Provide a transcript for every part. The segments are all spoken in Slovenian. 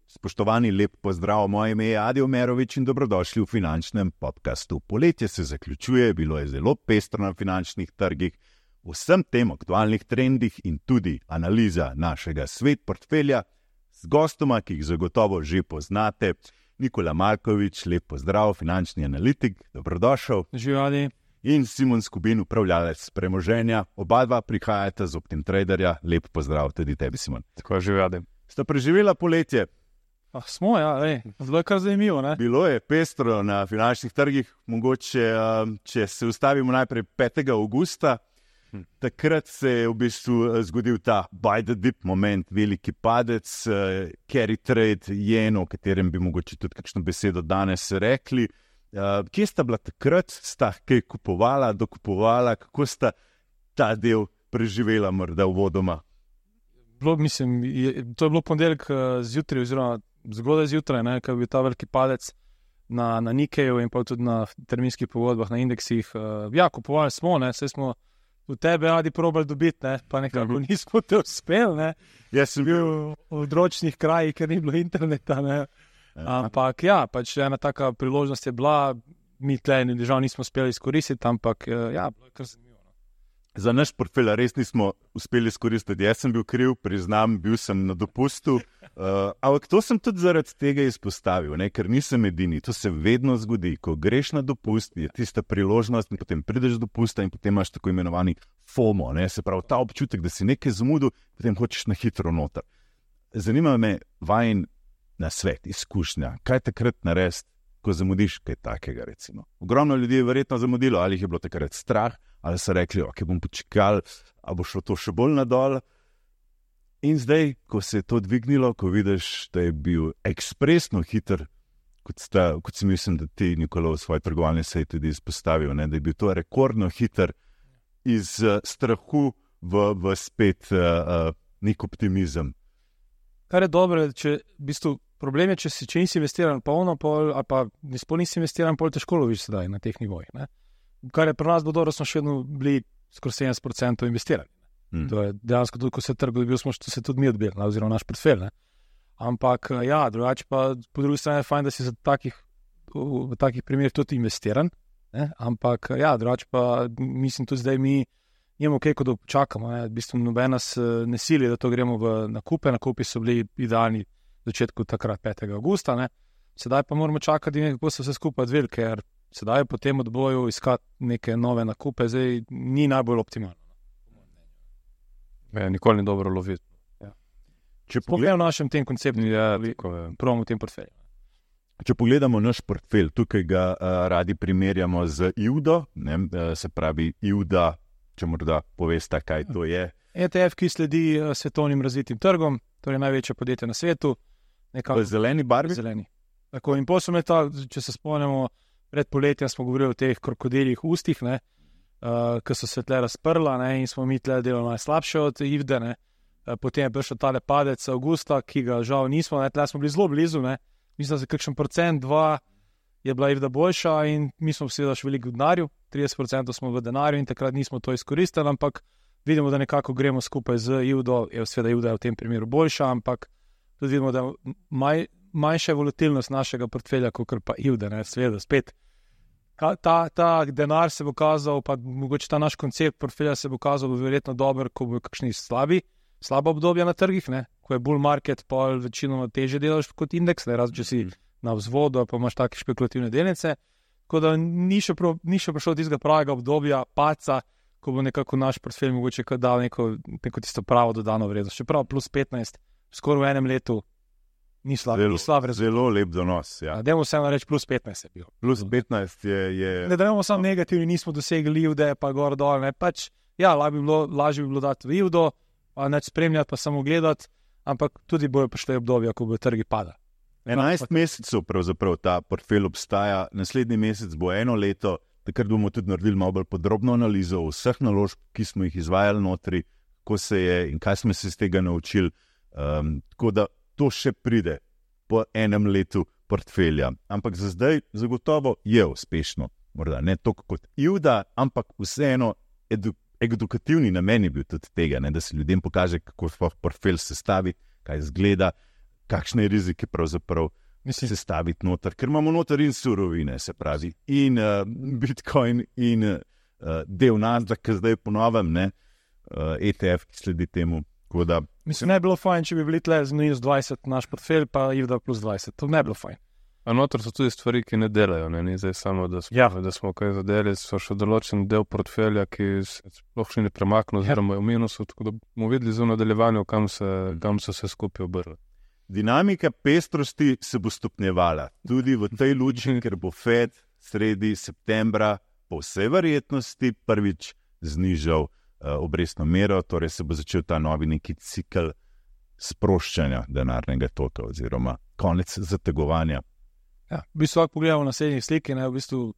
Spoštovani, lep pozdrav, moje ime je Adi Omerovič in dobrodošli v finančnem podcastu. Poletje se zaključuje, bilo je zelo pestro na finančnih trgih, vsem tem aktualnih trendih in tudi analiza našega svet portfelja z gostoma, ki jih zagotovo že poznate. Nikola Markovič, lep pozdrav, finančni analitik, dobrodošel. Živali. In Simon Skubin, upravljalec premoženja. Oba dva prihajata z Optim Traderja. Lep pozdrav tudi tebi, Simon. Tako živali. Sta preživela poletje? Smo, ja, zelo je kar zanimivo, ne? Bilo je pestro na finančnih trgih, mogoče, če se ustavimo najprej 5. avgusta, takrat se je v bistvu zgodil ta buy the dip moment, veliki padec, carry trade, jen, o katerem bi mogoče tudi kakšno besedo danes rekli. Kje sta bila takrat, sta kaj kupovala, dokupovala, kako sta ta del preživela morda uvodoma? To je bilo ponedeljek zjutraj, oziroma zgodaj zjutraj, ko je bil ta veliki padec na Nikkeiu in pa tudi na terminskih pogodbah, na indeksih. Ja, kupovali smo, saj smo v tebe radi probali dobiti, pa nekako nismo te uspeli. Jaz sem bil v odročnih krajih, ker ni bilo interneta. Ampak ja, pač ena taka priložnost je bila, mi tle žal nismo uspeli izkoristiti, ampak ja, bilo je kar zanimivo. Za naš portfelj res nismo uspeli izkoristiti. Jaz sem bil kriv, priznam, bil sem na dopustu. Ampak to sem tudi zaradi tega izpostavil, ker nisem edini. To se vedno zgodi. Ko greš na dopust, je tista priložnost in potem prideš do dopusta in potem imaš tako imenovani FOMO. Se pravi, ta občutek, da si nekaj zamudil, potem hočeš na hitro noter. Zanima me vajen nasvet, izkušnja. Kaj takrat narediti, ko zamudiš kaj takega, recimo? Ogromno ljudi je verjetno zamudilo, ali jih je bilo takrat strah, ali so rekli, ok, bom počakal, ali bo šlo to še bolj nadol. In zdaj, ko se je to dvignilo, ko vidiš, da je bil ekspresno hiter, kot si mislim, da ti, Nikola, v svoji trgovalni seji tudi izpostavil, da je bil to rekordno hiter iz strahu v spet nek optimizem. Kar je dobro, problem je, če nisi investiran polno, ali pa nisi investiran, pol težko loviš sedaj na teh nivojih. Kar je pri nas bilo dobro, smo še vedno bili skoraj 70% investirani. To je dejansko tudi, ko se trg dobil, smo se tudi mi odbili, oziroma naš portfelj. Ampak ja, drugače pa po drugi strani je fajn, da si v takih primerih tudi investiran. Ampak ja, drugače pa mislim tudi zdaj mi imamo kaj, ko da počakamo. V bistvu noben nas ne sili, da to gremo v nakupe. Nakupi so bili idealni v začetku takrat 5. avgusta. Sedaj pa moramo čakati, kako se vse skupaj odvili, ker sedaj po tem odboju iskati neke nove nakupe, zdaj ni najbolj optimalno. Nikoli ni dobro loviti. Ja. Če pogledamo v našem tem konceptu, pravimo v tem portfelju. Če pogledamo naš portfelj, tukaj ga radi primerjamo z IUDO, se pravi IUDA, če morda poveste, kaj to je. ETF, ki sledi svetovnim razvitim trgom, torej največje podjetje na svetu. V zeleni barvi? Zeleni. Tako, in potem če se spomnimo, pred poletjem smo govorili o teh krokodilih ustih, ki so se tle razprla, in smo mi tle delali najslabše od IVDE. Potem je prišel tale padec avgusta, ki ga žal nismo, tle smo bili zelo blizu, mislim, da se kakšen 2% je bila IVDA boljša in mi smo seveda še veliko v denarju, 30% smo v denarju in takrat nismo to izkoristili, ampak vidimo, da nekako gremo skupaj z IVDO, seveda IVDA je v tem primeru boljša, ampak tudi vidimo, da manjša volatilnost našega portfelja, kot pa IVDA, seveda spet. Ta denar se bo kazal, pa mogoče ta naš koncept portfelja se bo kazal verjetno dober, ko bo kakšni slaba obdobja na trgih, ko je bull market, pa večinoma teže delaš kot indeks, razen če si na vzvodu, pa imaš take špekulativne delnice. Tako da ni še prišlo tistega pravega obdobja paca, ko bo nekako naš portfelj mogoče dal neko tisto pravo dodano vrednost. Čeprav plus 15, skoraj v enem letu, ni slab rezultat. Zelo lep donos. Ja. Dajmo vseeno reči, plus 15 je bil. Plus 15 je... Ne dajmo samo negativni, nismo dosegli IVDE, pa gor dol. Lažje bi bilo dati v IVDO, pa neč spremljati, pa samo gledati, ampak tudi bojo prišle obdobja, ko bo trgi pada. 11 mesecev pravzaprav ta portfelj obstaja, naslednji mesec bo 1 leto, takrat bomo tudi naredili malo bolj podrobno analizo vseh naložb, ki smo jih izvajali notri, kako se je in kaj smo se iz tega naučili. Tako da to še pride po 1 letu portfelja. Ampak za zdaj zagotovo je uspešno. Morda ne toliko kot IVDA, ampak vseeno edukativni namen je bil tudi tega, ne, da se ljudem pokaže, kako portfelj sestavi, kaj izgleda, kakšne rizike pravzaprav sestaviti noter, ker imamo noter in surovine, se pravi, in Bitcoin in del Nasdaq, ki zdaj ponovim, ETF, ki sledi temu. Mislim, ne bi bilo fajn, če bi bili tle z minus 20 naš portfelj, pa IVDA plus 20, to ne bi bilo fajn. A noter so tudi stvari, ki ne delajo, ne? Ni zdaj samo, da smo kaj zadeli, so še določen del portfelja, ki se sploh še ne premaknil, oziroma je v minusu, tako da bomo videli v nadaljevanju, kam so se skupaj obrli. Dinamika pestrosti se bo stopnjevala tudi v tej luči, ker bo Fed sredi septembra po vsej verjetnosti prvič znižal obrestno mero, torej se bo začel ta novi neki cikel sproščanja denarnega toka oziroma konec zategovanja. Ja, v bistvu, ako pogledamo na naslednjih sliki, v bistvu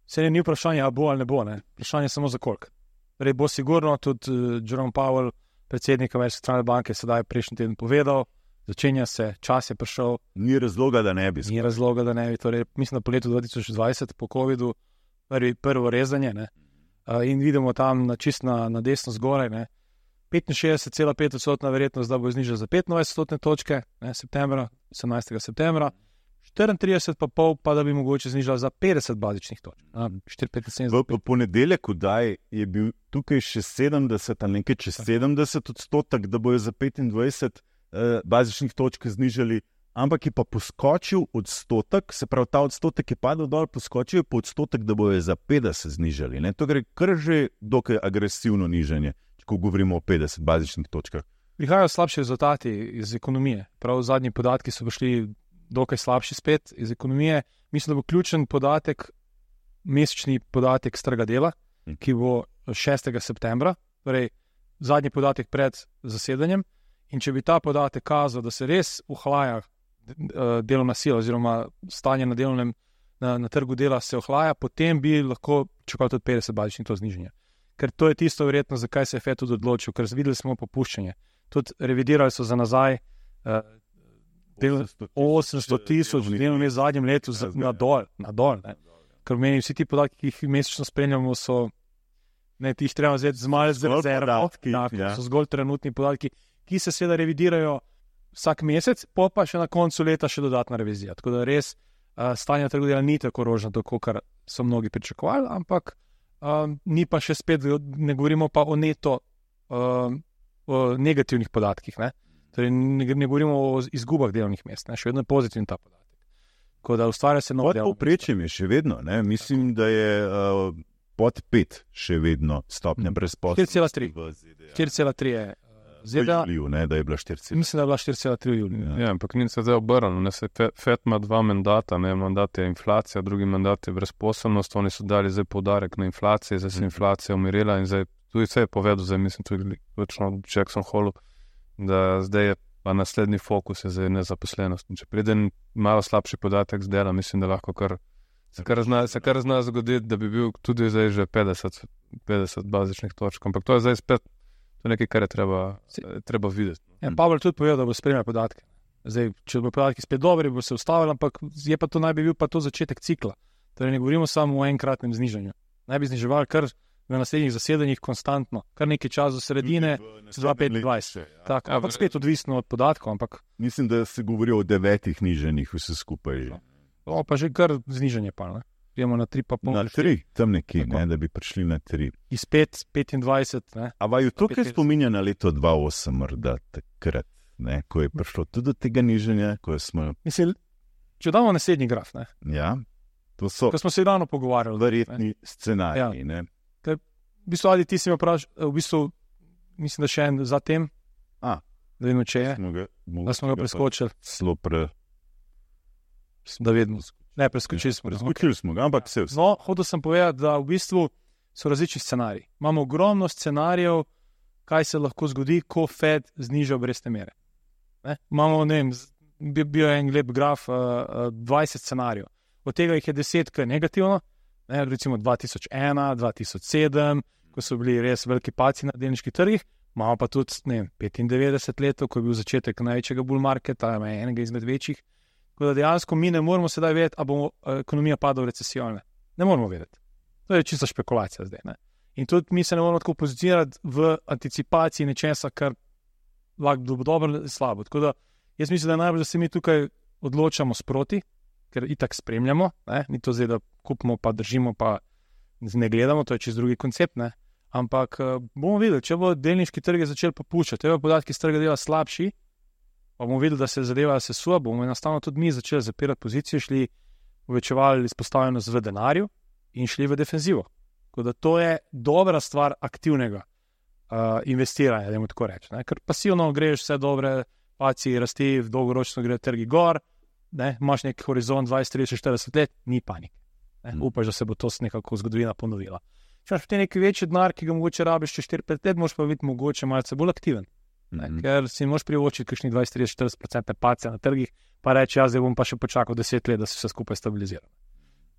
se ni vprašanje, a bo ali ne bo, vprašanje je samo za koliko. Torej bo sigurno tudi Jerome Powell, predsednik Ameriške centralne banke, sedaj prejšnji teden povedal, začenja se, čas je prišel. Ni razloga, da ne bi. Torej, mislim, da po letu 2020, po COVID-u, prvo rezanje, in vidimo tam na desno zgoraj, 65,5% verjetnost, da bo znižal za 25% točke, septembra, 18. septembra, 34,5% pa da bi mogoče znižal za 50 bazičnih točk. 4,75. V ponedeljek, kdaj je bil tukaj še 70 ali nekaj čez 70%, da bojo za 25 bazičnih točk znižali, ampak je pa poskočil odstotek, se pravi, ta odstotek je padel dol, poskočil je po odstotek, da bojo za 50 znižali. To gre kar že dokaj agresivno nižanje, ko govorimo o 50 bazičnih točkah. Prihajajo slabši rezultati iz ekonomije. Prav zadnji podatki so prišli dokaj slabši spet iz ekonomije. Mislim, da bo ključen podatek, mesečni podatek s trga dela, ki bo 6. septembra, torej zadnji podatek pred zasedanjem. In če bi ta podatek kazal, da se res ohlaja delovna sila oziroma stanje na trgu dela se ohlaja, potem bi lahko čakal tudi 50 bazičnih to znižanje. Ker to je tisto verjetno, zakaj se je Fed tudi odločil, ker videli smo popuščanje. Tudi revidirali so za nazaj 800,000 delovnih mest v zadnjem letu na dol. Ker meni vsi ti podatki, ki jih mesečno spremljamo, so jih treba vzeti z malo rezervo, so zgolj trenutni podatki, ki se seveda revidirajo vsak mesec, pa še na koncu leta še dodatna revizija. Tako da res stanje trga dela ni tako rožnato, kot so mnogi pričakovali, ampak ni pa še spet, ne govorimo pa o neto o negativnih podatkih. Torej, ne govorimo o izgubah delovnih mest, še vedno je pozitiven ta podatek. Tako da ustvarja se nov delovni mest. Povprečjem je še vedno, mislim, da je pod 5 še vedno stopnja brezposelnosti. 4,3 je ZDA. Da je bila 4,3. Mislim, da je bila 4,3 v juliju. Ja, ampak ni se zdaj obrnilo. Fed ima dva mandata, mandat je inflacija, drugi mandat je brezposelnost. Oni so dali zdaj poudarek na inflaciji, zdaj se inflacija umirila in zdaj tudi se je povedal, zdaj mislim tudi točno v Jackson Hallu, da zdaj je pa naslednji fokus je zdaj nezaposlenost. Če pride malo slabši podatek z dela, mislim, da lahko se kar zna zgoditi, da bi bil tudi zdaj že 50 bazičnih točk. Ampak to je zdaj spet nekaj, kar je treba videti. Ja, Pavel tudi povedal, da bo spremljal podatke. Zdaj, če bo podatki spet dobri, bo se ustavil, ampak je pa to naj bi bil pa to začetek cikla. Torej ne govorimo samo o enkratnem znižanju. Naj bi zniževali kar v naslednjih zasedanjih konstantno, kar nekaj časa do sredine, 2025. Tako, ampak spet odvisno od podatkov. Ampak mislim, da se govori o 9 nižanjih vse skupaj. Pa že kar znižanje pa, ne? Gremo na 3,5. Na 3, tam nekje, da bi prišli na 3. Iz 5,25. A vaju to, kaj spominja na leto 2008, morda takrat, ko je prišlo tudi do tega nižanja, ko smo... Mislim, če damo naslednji graf, Ja, to so... Ko smo se ravno pogovarjali. Verjetni scenariji, ja. V bistvu, ali ti si me vprašal, v bistvu, mislim, da še en za tem, da vidimo, če je, da smo ga preskočili. Da vidimo. Ne, preskočili smo ga, ampak se vse. No, hotel sem povedati, da v bistvu so različni scenariji. Imamo ogromno scenarijev, kaj se lahko zgodi, ko Fed zniža obrestne mere. Imamo, bil je en lep graf, 20 scenarijev. Od tega jih je 10, ki je negativno, recimo 2001, 2007, ko so bili res veliki padci na delniških trgih. Imamo pa tudi 95 let, ko je bil začetek največjega bull marketa, enega izmed večjih. Tako da dejansko mi ne moramo sedaj vedeti, ali bo ekonomija padla v recesijo. Ne moramo vedeti. To je čista špekulacija zdaj. In tudi mi se ne moramo tako pozicionirati v anticipaciji nečesa, kar lahko bo dobro ali slabo. Tako da jaz mislim, da je najbolj, da se mi tukaj odločamo sproti, ker itak spremljamo, ne? Ni to zdaj, da kupimo pa držimo pa ne gledamo, to je čist drugi koncept, ne? Ampak bomo videli, če bo delniški trg začel popuščati, če bo podatki z trga dela slabši, pa bomo videli, da se zadeva sesuje, bomo enostavno tudi mi začeli zapirati pozicijo, šli povečevali izpostavljenost v denarju in šli v defenzivo. Tako da to je dobra stvar aktivnega investiranja, da tako reči. Ker pasivno greš vse dobre, paci rasti, dolgoročno gre trgi gor, ne? Imaš nek horizont 20, 30, 40 let, ni panike. Upaš, da se bo to nekako zgodovina ponovila. Če imaš potem neki večji denar, ki ga mogoče rabiš čez 4-5 let, moraš pa biti mogoče malce bolj aktiven. Ker si moraš privočiti kakšni 20-30% pace na trgih, pa reči, zdaj bom pa še počakal 10 let, da se vse skupaj stabilizira.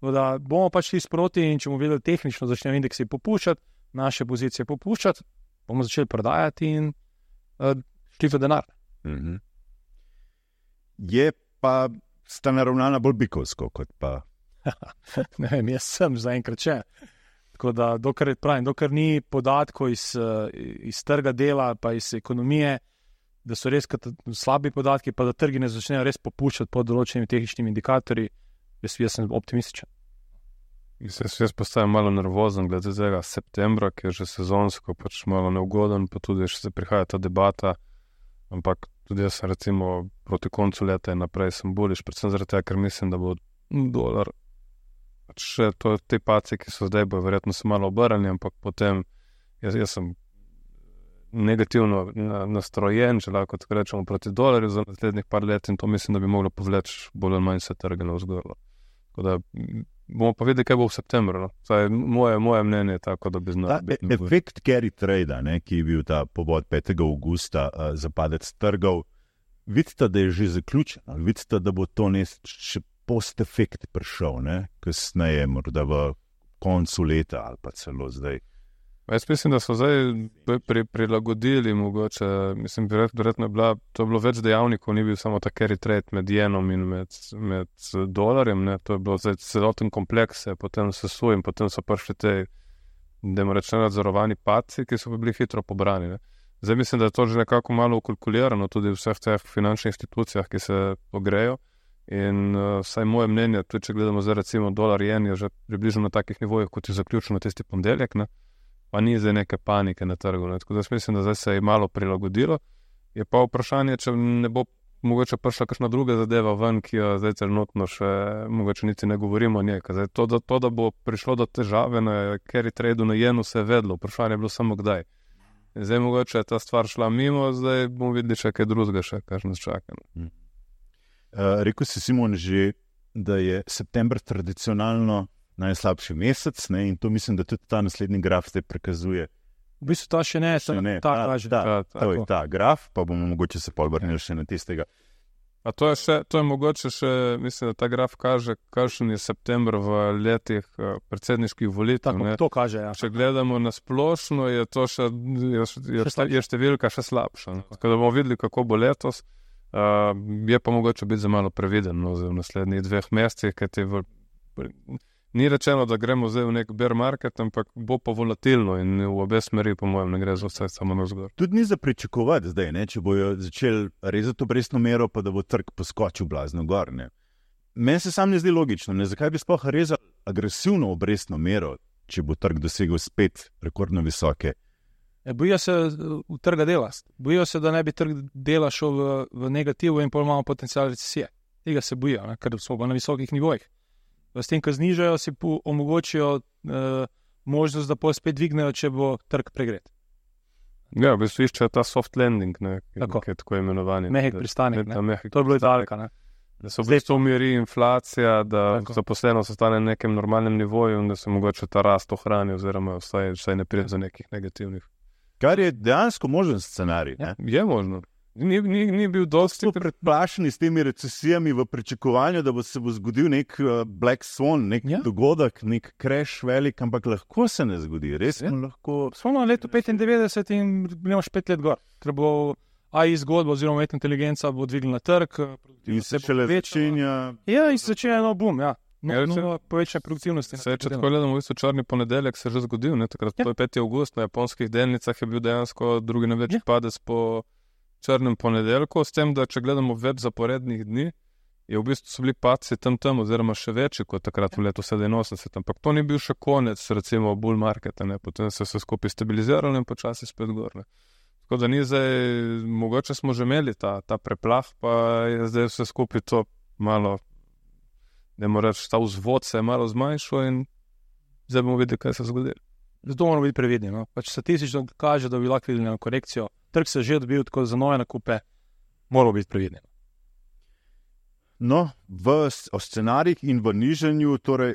Da bomo pač šli sproti in če bomo videli tehnično, začnejo indeksi popuščati, naše pozicije popuščati, bomo začeli prodajati in šli v denar. Je pa sta naravnana bolj bikovsko, kot pa... Ne vem, jaz sem zaenkrat še. Tako da, dokler ni podatkov iz trga dela, pa iz ekonomije, da so res slabi podatki, pa da trgi ne začnejo res popuščati pod določenimi tehničnimi indikatorji, jaz sem optimističen. Jaz postajam malo nervozen glede tega septembra, ki je že sezonsko pač malo neugoden, pa tudi še se prihaja ta debata, ampak tudi jaz sem recimo proti koncu leta in naprej sem boljiš, predvsem zaradi tega, ker mislim, da bo dolar še te pace, ki so zdaj, bo verjetno se malo obrnili, ampak potem jaz sem negativno nastrojen, če lahko tako rečemo, proti dolarju za naslednjih par let in to mislim, da bi moglo povleči bolj ali manj se trge navzgor. Tako da bomo pa videli, kaj bo v septembru. No? Moje mnenje je tako, da bi znali. Efekt carry trade, ki je bil ta povod 5. augusta za padec trgov, vidite, da je že zaključen, vidite, da bo to še post-efekt prišel, kasneje, morda v koncu leta ali pa celo zdaj. Jaz mislim, da so zdaj prilagodili mogoče, mislim, verjetno to je bilo več dejavnikov, ni bil samo ta carry trade med jenom in med dolarjem, to je bilo zdaj celoten kompleks, potem sesuj in potem so prišli te, da reče, nadzorovani padci, ki so bili hitro pobrani. Zdaj mislim, da je to že nekako malo ukalkulirano tudi v vseh teh finančnih institucijah, ki se pogrejo. In vsaj moje mnenje, tudi če gledamo zdaj recimo dolar jen je že približno na takih nivojih, kot je zaključeno tisti ponedeljek, pa ni zdaj neke panike na trgu. Tako da mislim, da zdaj se je malo prilagodilo. Je pa vprašanje, če ne bo mogoče prišla kakšna druga zadeva ven, ki jo zdaj trenutno še mogoče niti ne govorimo o njej. Zdaj, to, da bo prišlo do težave na carry trade na jenu, se je vedlo. Vprašanje je bilo samo kdaj. In zdaj mogoče je ta stvar šla mimo, zdaj bomo videli še kaj drugega, kar nas čaka. Rekel si, Simon, že, da je september tradicionalno najslabši mesec, in to mislim, da tudi ta naslednji graf zdaj prikazuje. V bistvu ta še ne, ta graf, pa bomo mogoče se polvrnili še na tistega. A to je mogoče še, mislim, da ta graf kaže, kakšen je september v letih predsedniških volitev. Tako, to kaže, ja. Če gledamo na splošno, je to še številka še slabša. Tako da bomo videli, kako bo letos. Je pa mogoče biti za malo previden v naslednjih 2 mesecih, ker ni rečeno, da gremo zdaj v nek bear market, ampak bo pa volatilno in v obe smeri, po mojem, ne gre za vse samo navzgor. Tudi ni za pričakovati zdaj, če bojo začeli rezati obrestno mero, pa da bo trg poskočil blazno gor. Meni se sam ne zdi logično, zakaj bi sploh rezali agresivno obrestno mero, če bo trg dosegel spet rekordno visoke. Bojijo se v trga dela. Bojijo se, da ne bi trg dela šel v negativu in pol imamo potencial recesije. Tega se bojijo, ker smo pa na visokih nivojih. S tem, ko znižajo, si omogočijo možnost, da pol spet dvignejo, če bo trg pregret. Ja, v bistvu iščejo ta soft landing, ki je tako imenovani. Mehek pristanek, to je bilo Italika. Da se v bistvu umiri inflacija, da zaposlenost ostane na nekem normalnem nivoju in da se mogoče ta rast ohrani oziroma vsaj ne pride za nekih negativnih. Kar je dejansko možen scenarij. Ja, je možno. Ni bil dosti predplašeni s temi recesijami v pričakovanju, da se bo zgodil nek Black Swan, nek dogodek, nek crash velik, ampak lahko se ne zgodi. Res lahko. Smo na letu 95 in gremo 5 let gor. Ker bo AI zgodba oziroma umetna inteligenca bo dvignila trg. In se šele začenja. Ja, in se začenja boom, ja. povečanje produktivnosti. Če tako gledamo, v bistvu črni ponedeljek se je že zgodil, takrat to je 5. avgust, na japonskih delnicah je bil dejansko drugi največji padec po črnem ponedeljku, s tem, da če gledamo več zaporednih dni, je v bistvu so bili padci tam, oziroma še večji kot takrat v letu 87, ampak to ni bil še konec, recimo bull marketa, potem se vse skupaj stabiliziralo in počasi spet gor. Tako da ni zdaj, mogoče smo že imeli ta preplah, pa je zdaj vse skupaj to malo, da moramo reči, ta vzvod se je malo zmanjšal in zdaj bomo videli, kaj se je zgodilo. Zato moramo biti previdni. Pač statistično kaže, da bi lahko videli na korekcijo. Trg se je že odbil, tako za nove nakupe moramo biti previdni. No, o scenarijih in v nižanju, torej,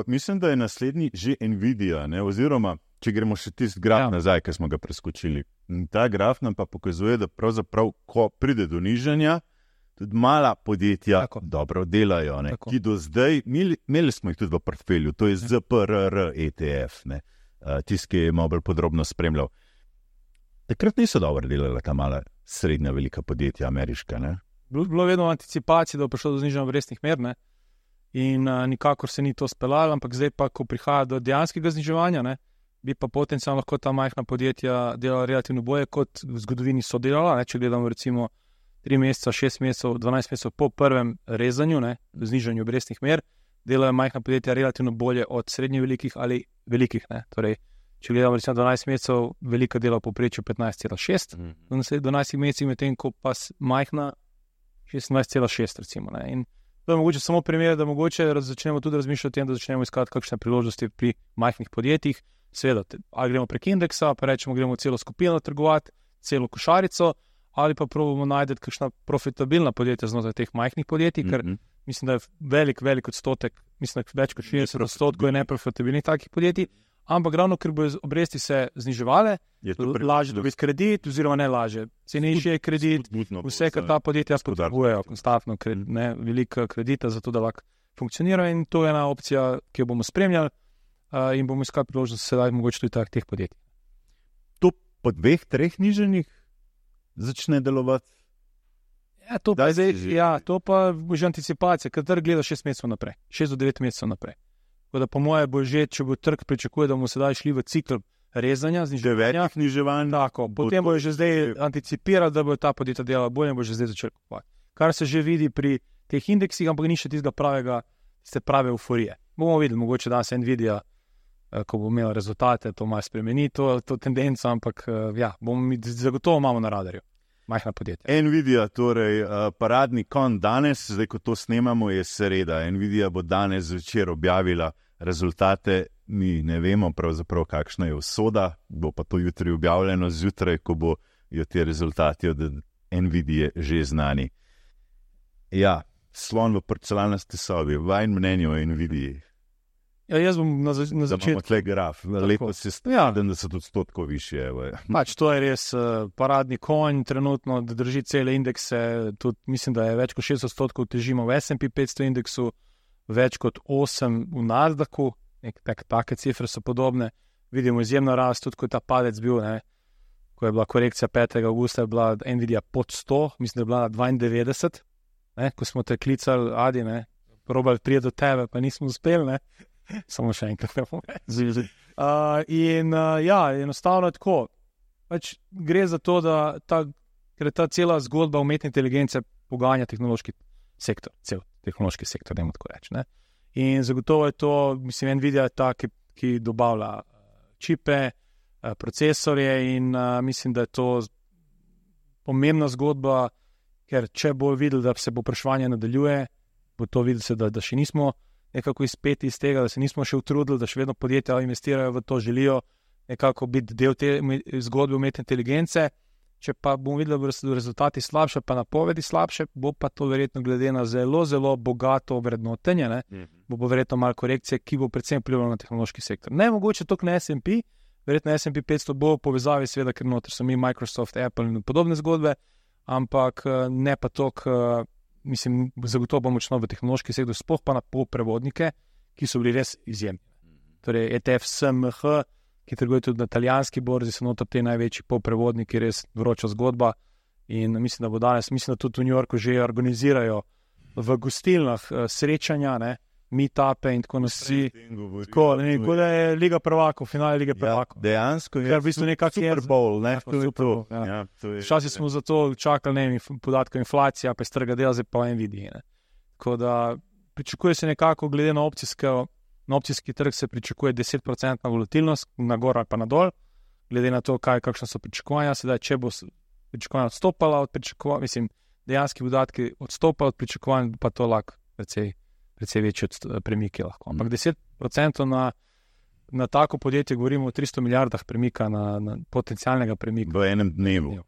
mislim, da je naslednji že Nvidia, oziroma če gremo še tisti graf nazaj, ki smo ga preskočili. In ta graf nam pa pokazuje, da pravzaprav, ko pride do nižanja, tudi mala podjetja dobro delajo, ki do zdaj, imeli smo jih tudi v portfelju, to je ZPRR ETF, tisti, ki je malo bolj podrobno spremljal. Takrat niso dobro delala ta mala, srednja, velika podjetja, ameriška, Bilo vedno v anticipaciji, da bo prišlo do znižanja obrestnih mer, in nikakor se ni to speljalo, ampak zdaj pa, ko prihaja do dejanskega zniževanja, bi pa potencialno lahko ta majhna podjetja delala relativno bolje, kot v zgodovini so delala, če gledamo recimo 3 meseca, 6 mesecev, 12 mesecev po prvem rezanju, znižanju obrestnih mer, delajo majhna podjetja relativno bolje od srednje velikih ali velikih. Torej, če gledamo recimo 12 mesecev, velika dela v povprečju 15,6, do 12 mesecev, medtem ko pa majhna 26,6 recimo. In to je mogoče samo primer, da mogoče začnemo tudi razmišljati o tem, da začnemo iskati kakšne priložnosti pri majhnih podjetjih. Seveda, ali gremo prek indeksa, pa rečemo, gremo celo skupino trgovati, celo košarico, ali pa probamo najti kakšna profitabilna podjetja znotraj teh majhnih podjetij, ker mislim, da je velik odstotek, mislim, da več kot 60% je neprofitabilnih takih podjetij, ampak ravno, ker bojo obresti se zniževale, lažje dobiti kredit, oziroma ne lažje, cenejši je kredit, vse, kar ta podjetja potrebujejo, konstantno velika kredita, zato da lahko funkcionira, in to je ena opcija, ki jo bomo spremljali in bomo iskali priložnost sedaj mogoče tudi teh podjetij. To po 2-3 nižanjih začne delovati? To pa bo že anticipacija, ker trg gleda 6 mesecev naprej, 6 do 9 mesecev naprej. Tako da po moje bo že, če bo trg pričakuje, da bomo sedaj šli v cikl rezanja, zniževanja, potem bojo že zdaj anticipirali, da bojo ta podjetja delala bolje in bo že zdaj začeli kupovati. Kar se že vidi pri teh indeksih, ampak ni še tiste prave euforije. Bomo videli, mogoče danes Nvidia, ko bo imela rezultate, to malo spremeni, to tendenco, ampak zagotovo imamo na radarju. Majhna podjetja. Nvidia, torej paradni konj danes, zdaj ko to snemamo, je sreda. Nvidia bo danes zvečer objavila rezultate, mi ne vemo pravzaprav, kakšna je usoda, bo pa to jutri objavljeno zjutraj, ko bojo te rezultati od Nvidie že znani. Ja, slon v porcelanasti sobi, vaš mnenje o Nvidii. Jaz bom na začetku. Da imamo tle graf, lepo se stane, da so tudi 100% više. To je res paradni konj, trenutno, da drži cele indekse, tudi mislim, da je več kot 60% težimo v S&P 500 indeksu, več kot 8% v Nasdaqu, take cifre so podobne, vidimo izjemno rast, tudi ko je ta padec bil, ko je bila korekcija 5. augusta, je bila Nvidia pod 100, mislim, da je bila na 92, ko smo te klicali, Adi, probali priti do tebe, pa nismo uspeli, samo še enkrat ne bom reči. Enostavno je tako. Gre za to, da ker ta cela zgodba umetne inteligence poganja tehnološki sektor, cel tehnološki sektor, dajmo tako reči. In zagotovo je to, mislim, Nvidia je ta, ki dobavlja čipe, procesorje in mislim, da je to pomembna zgodba, ker če bo videl, da se bo povpraševanje nadaljuje, bo to videl, da še nismo nekako izpeti iz tega, da se nismo še utrudili, da še vedno podjetja investirajo v to, želijo nekako biti del te zgodbe umetne inteligence. Če pa bomo videli, da bodo rezultati slabše, pa napovedi slabše, bo pa to verjetno glede na zelo, zelo bogato vrednotenje, bo verjetno malo korekcije, ki bo predvsem vplivalo na tehnološki sektor. Ne mogoče toliko na S&P, verjetno S&P 500 bo v povezavi, seveda, ker noter so mi Microsoft, Apple in podobne zgodbe, ampak ne pa toliko. Mislim, zagotovo bo močno v tehnološki sektor, sploh pa na polprevodnike, ki so bili res izjemni. Torej, ETF SMH, ki trguje tudi na italijanski borzi, so noter te največji polprevodniki, res vroča zgodba. In mislim, da bo danes, mislim, da tudi v New Yorku že organizirajo v gostilnah srečanja, meetupe in tako naprej. Tako da je Liga prvakov, finale Lige prvakov. Dejansko je v bistvu Super Bowl, ne? Super Bowl, ja. Včasih smo zato čakali, ne vem, podatkov inflacija, pa je strga dela, zdaj pa Nvidia, ne. Tako da pričakuje se nekako, glede na opcijski trg se pričakuje 10% volatilnost, na gor ali pa na dol, glede na to, kakšne so pričakovanja. Sedaj, če bo pričakovanja odstopala od pričakovanj, mislim, dejanski podatki odstopajo od pričakovanj, pa to lahko precej večji premiki lahko. Ampak 10% na tako podjetje, govorimo o 300 milijardah premika, na potencialnega premika. V enem dnevu.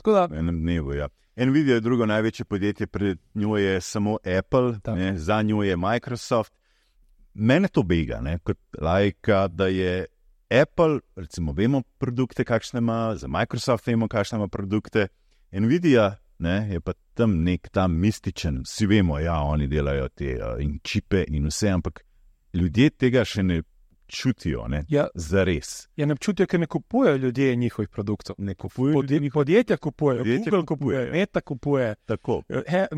V enem dnevu, ja. Nvidia je drugo največje podjetje, pred njo je samo Apple, ne, za njo je Microsoft. Mene to bega, ne, kot laika, da je Apple, recimo vemo produkte, kakšne ima, za Microsoft vemo, kakšne ima produkte. Nvidia, ne, je pa tam nek tam mističen, vsi vemo, ja, oni delajo te in čipe in vse, ampak ljudje tega še ne čutijo, ne, zares. Ja, ne čutijo, ker ne kupujejo ljudje njihovih produktov. Ne kupujejo. Podjetja kupujejo, Google kupuje, Meta kupuje. Tako,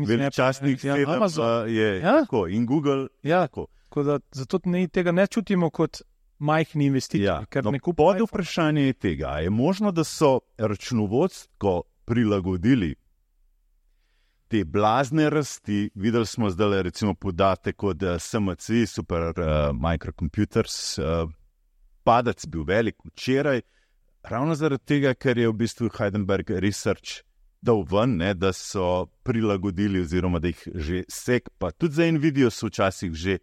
veličastnih Amazon je tako in Google. Ja, tako da zato tega ne čutimo kot majhni investitorji, ker ne kupujejo. Pod vprašanje je tega, je možno, da so računovodsko prilagodili te blazne rasti. Videli smo zdaj recimo podatek od SMC, Super Microcomputers, padec bil velik včeraj, ravno zaradi tega, ker je v bistvu Heidelberg Research dal ven, ne, da so prilagodili oziroma da jih že pa tudi za Nvidia so včasih že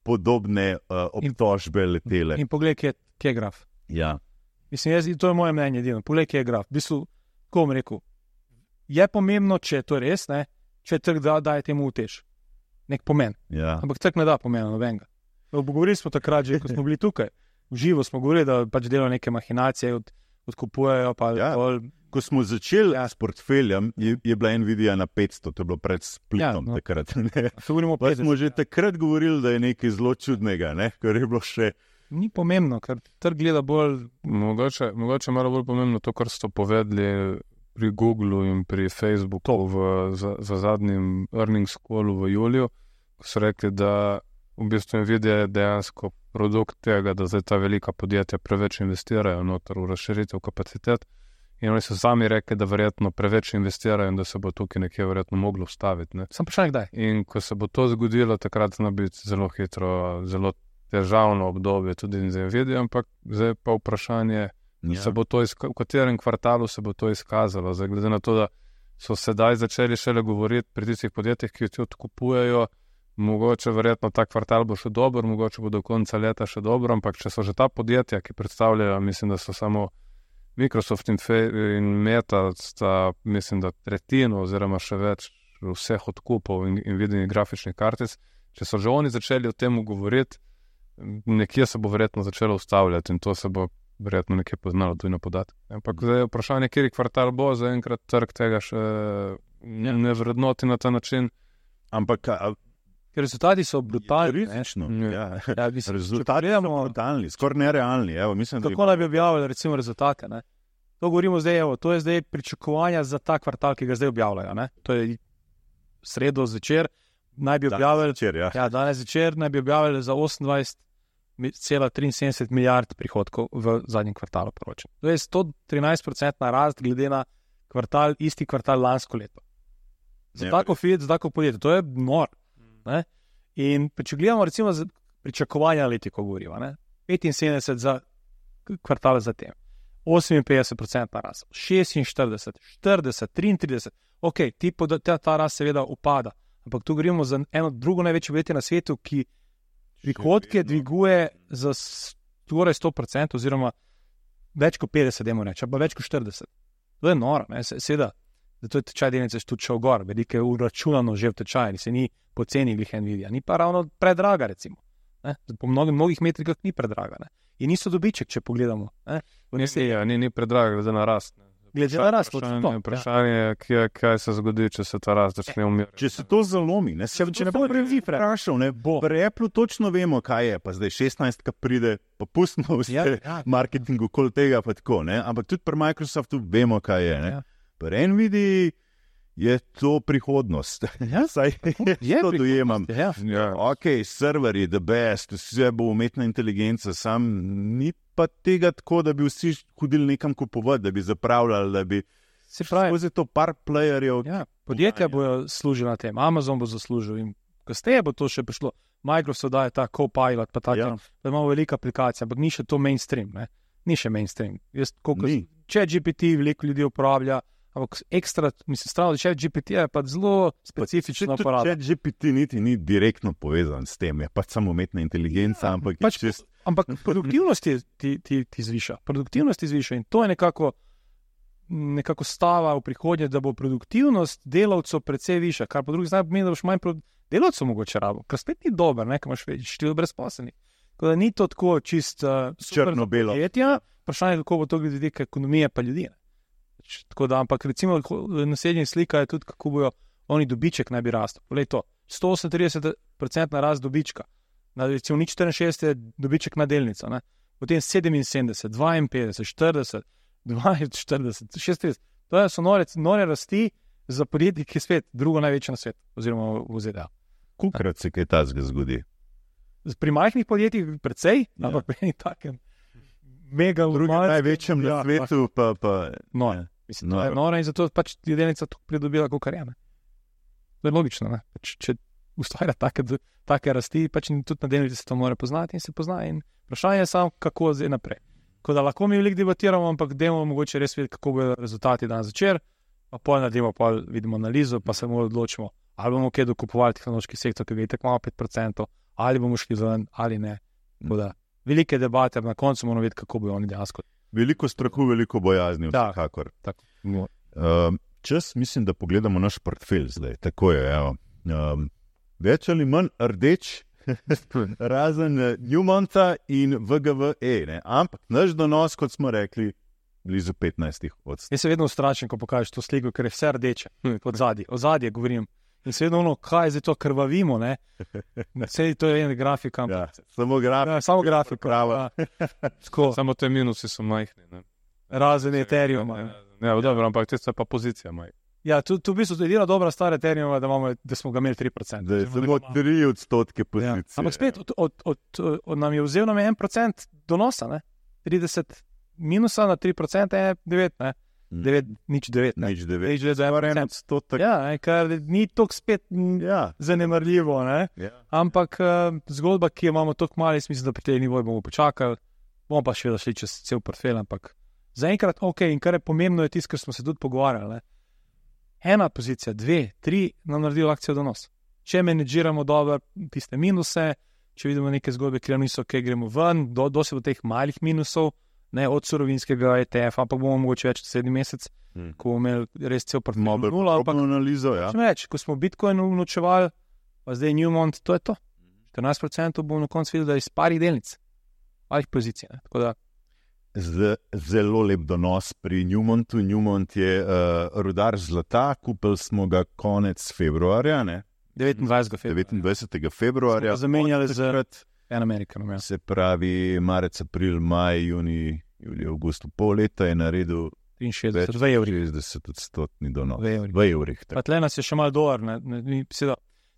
podobne obtožbe letele. In poglej, kje je graf. Ja. Mislim, to je moje mnenje edino. Poglej, kje je graf. V bistvu, ko bom rekel, je pomembno, če je to res, ne, če trg daje temu utež. Nek pomen. Ja. Ampak trg ne da pomena nobenega. Govorili smo takrat že, ko smo bili tukaj. V živo smo govorili, da pač delajo neke mahinacije, odkupujejo. Ko smo začeli s portfeljem, je bila Nvidia na 500, to je bilo pred splitom takrat. Pa smo že takrat govorili, da je nekaj zelo čudnega, ne, ker je bilo še... Ni pomembno, ker trg gleda bolj... Mogoče malo bolj pomembno to, kar ste povedali pri Googlu in pri Facebooku za zadnjim earnings callu v juliju, ko so rekli, da v bistvu Nvidia je dejansko produkt tega, da zdaj ta velika podjetja preveč investirajo noter v razširitev kapacitet in oni so sami rekli, da verjetno preveč investirajo in da se bo tukaj nekje verjetno moglo vstaviti. Ne? Sam vprašanje kdaj? In ko se bo to zgodilo, takrat zna biti zelo hitro, zelo težavno obdobje tudi za Nvidia, ampak zdaj pa vprašanje, se bo to v katerem kvartalu se bo to izkazalo. Zdaj, glede na to, da so sedaj začeli šele govoriti pri tistih podjetjih, ki jo odkupujejo, mogoče verjetno ta kvartal bo še dober, mogoče bo do konca leta še dobro, ampak če so že ta podjetja, ki predstavljajo, mislim, da so samo Microsoft in Meta, sta, mislim, da tretjino oziroma še več vseh odkupov in videnih grafičnih kartic, če so že oni začeli o tem govoriti, nekje se bo verjetno začelo ustavljati in to se bo verjetno nekje poznalo tudi na podatek. Ampak zdaj je vprašanje, kjer kvartal bo, zaenkrat trg tega še ne vrednoti na ta način. Ampak ker rezultati so brutalni. Rezultati so brutalni, skoraj nerealni. Kako naj bi objavili recimo rezultate? Ne? To govorimo zdaj, to je zdaj pričakovanja za ta kvartal, ki ga zdaj objavljajo. Ne? To je sredo zvečer, naj bi objavili, danes zvečer naj bi objavili za 28,73 milijard prihodkov v zadnjem kvartalu poročen. To je 113% rast glede na isti kvartal lansko leto. Za tako podjetje, to je nor. Ne? In če gledamo recimo za pričakovanja letiko govoriva, 75 za kvartal zatem, 58% rast, 46, 40, 33, ok, ta rast seveda upada, ampak tu govorimo za eno drugo največje podjetje na svetu, ki prihodke dviguje za skoraj 100% oziroma več kot 50, dajmo reči, pa več kot 40. To je noro, seveda. Zato je tečaj delnice tudi šel gor, veliko je uračunano že v tečaj, se ni poceni glih Nvidia, ni pa ravno predraga recimo. Po mnogih metrikah ni predraga. Ne? In niso dobiček, če pogledamo. Ni predraga, glede na rast. Glede na rast, vprašanje je, kaj se zgodi, če se ta rast začne umirati. Če se to zalomi, če ne bo prevprašal, pri Apple točno vemo, kaj je, pa zdaj 16, ki pride, pa pustimo vse marketingu okoli tega, pa tako, ne? Ampak tudi pri Microsoftu vemo, kaj je. Ne? Pri Nvidii je to prihodnost. Ja, Saj to dojemam. Ja. Ok, serverji, the best, vse bo umetna inteligenca, sam ni pa tega tako, da bi vsi hodili nekam kupovati, da bi zapravljali, da bi Se pravi, skozi to par playerjev. ja, podjetja bojo služili na tem, Amazon bo zaslužil in kasneje bo to še prišlo. Microsoft daje ta Copilot, pa tako, Ja. da imamo veliko aplikacij, ampak ni še to mainstream, ne? Ni še mainstream. Ni. ChatGPT veliko ljudi uporablja, ampak ekstra, mislim, strano, ChatGPT je pa zelo specifično uporabljeno. ChatGPT niti ni direktno povezan s tem, je pač samo umetna inteligenca, ampak je pač čist... Ampak produktivnost ti zviša. Produktivnost ti zviša in to je nekako stava v prihodnje, da bo produktivnost delavcev precej višja, kar po drugi strani pomeni, da boš manj delavcev mogoče rabo, kar spet ni dober, ne, ker imaš več število brezposelnih. Tako da ni to tako čist Črno-belo. podjetja, vprašanje, kako bo to glede vidika ekonomije pa ljudi. Ne. Tako da, ampak recimo naslednja slika je tudi, kako bojo oni dobiček naj bi rastel. Poglej to, 138% rast dobička, recimo 64 je dobiček na delnico, ne. Potem 77, 52, 40, 42, 36. To so nore rasti za podjetje, ki je svet drugo največje na svetu, oziroma v ZDA. Kolikrat se kaj takega zgodi? Pri majhnih podjetjih precej, Ja. ampak pri enih takem mega Največjem na svetu pa Noro. Mislim, to je Noro. noro in zato pač je delnica tako pridobila, kot je. Ne? To je logično. Ne? Pač, če ustvarja take rasti, pač tudi na delnici se to mora poznati in se pozna. In vprašanje je samo, kako zdaj naprej. Tako da lahko mi veliko debatiramo, ampak dajmo mogoče res videti, kako bodo rezultati dan začer, pa pol naredimo, pol vidimo analizo, pa se moramo odločimo, ali bomo kaj dokupovali tehnološki sektor, ki ga je tako malo 5%, ali bomo šli ven, ali ne. Tako da velike debate, na koncu moramo videti, kako bodo oni dejansko. veliko strahu, veliko bojazni, Da. vsekakor. Tako. Čas, mislim, da pogledamo naš portfelj zdaj. Tako je, evo. Več ali manj rdeč, razen Newmonta in VGVE. Ne? Ampak naš donos, kot smo rekli, blizu 15%. Jaz se vedno ustrašim, ko pokažeš to sliko, ker je vse rdeče, od zadaj. O zadje govorim. In se vedno ono, kaj zdaj to krvavimo, ne? Vse to je ena grafika. Ja, samo grafika. Ja, samo grafika. Prava. Tako, Samo te minusi so majhni. Ne? razen Ethereum. Ja, dobro, ampak tista pa pozicija majhna. Ja, tu v bistvu je edina dobra stvar Ethereuma, da smo ga imeli 3%. Da je samo 3% pozicije. Ja. Ampak spet, od nam je vzel 1% donosa, ne? 30 minusa na 3% je 9, ne? 9, nič 9, ne? Nič 9. Nič 9 za 1%. 1%. Ja, kar ni toliko spet Ja. zanemarljivo, ne? Ja. Ampak zgodba, ki jo imamo toliko malo, mislim, da pri tej nivoju bomo počakali, bomo pa še vedno šli čez cel portfelj, ampak zaenkrat ok, in kar je pomembno je tisto, kar smo se tudi pogovarjali, ne? Ena pozicija, 2, 3 nam naredijo akcijo donos. Če menedžiramo dobro tiste minuse, če vidimo neke zgodbe, ki nam niso, kaj gremo ven, dosti do teh malih minusov, ne od surovinskega ETF, ampak bomo mogoče več naslednji mesec, ko bomo imeli res cel portfelj nula, ampak analizo, ja. še več, ko smo Bitcoin unovčevali, pa zdaj Newmont, to je to. 14% bomo na koncu videli, da je iz parih delnic, parih pozicij. Ne? Tako da Zelo lep donos pri Newmontu. Newmont je rudar zlata, kupili smo ga konec februarja, ne? 29. februarja. 29. februarja. Zamenjali z takrat, Amerikanom. Ja. se pravi marec, april, maj, juni, julij, avgust, pol leta je naredil 63, 2 evri. 60% donos. V evrih. V evrih. Pa tle nas je še malo dolar.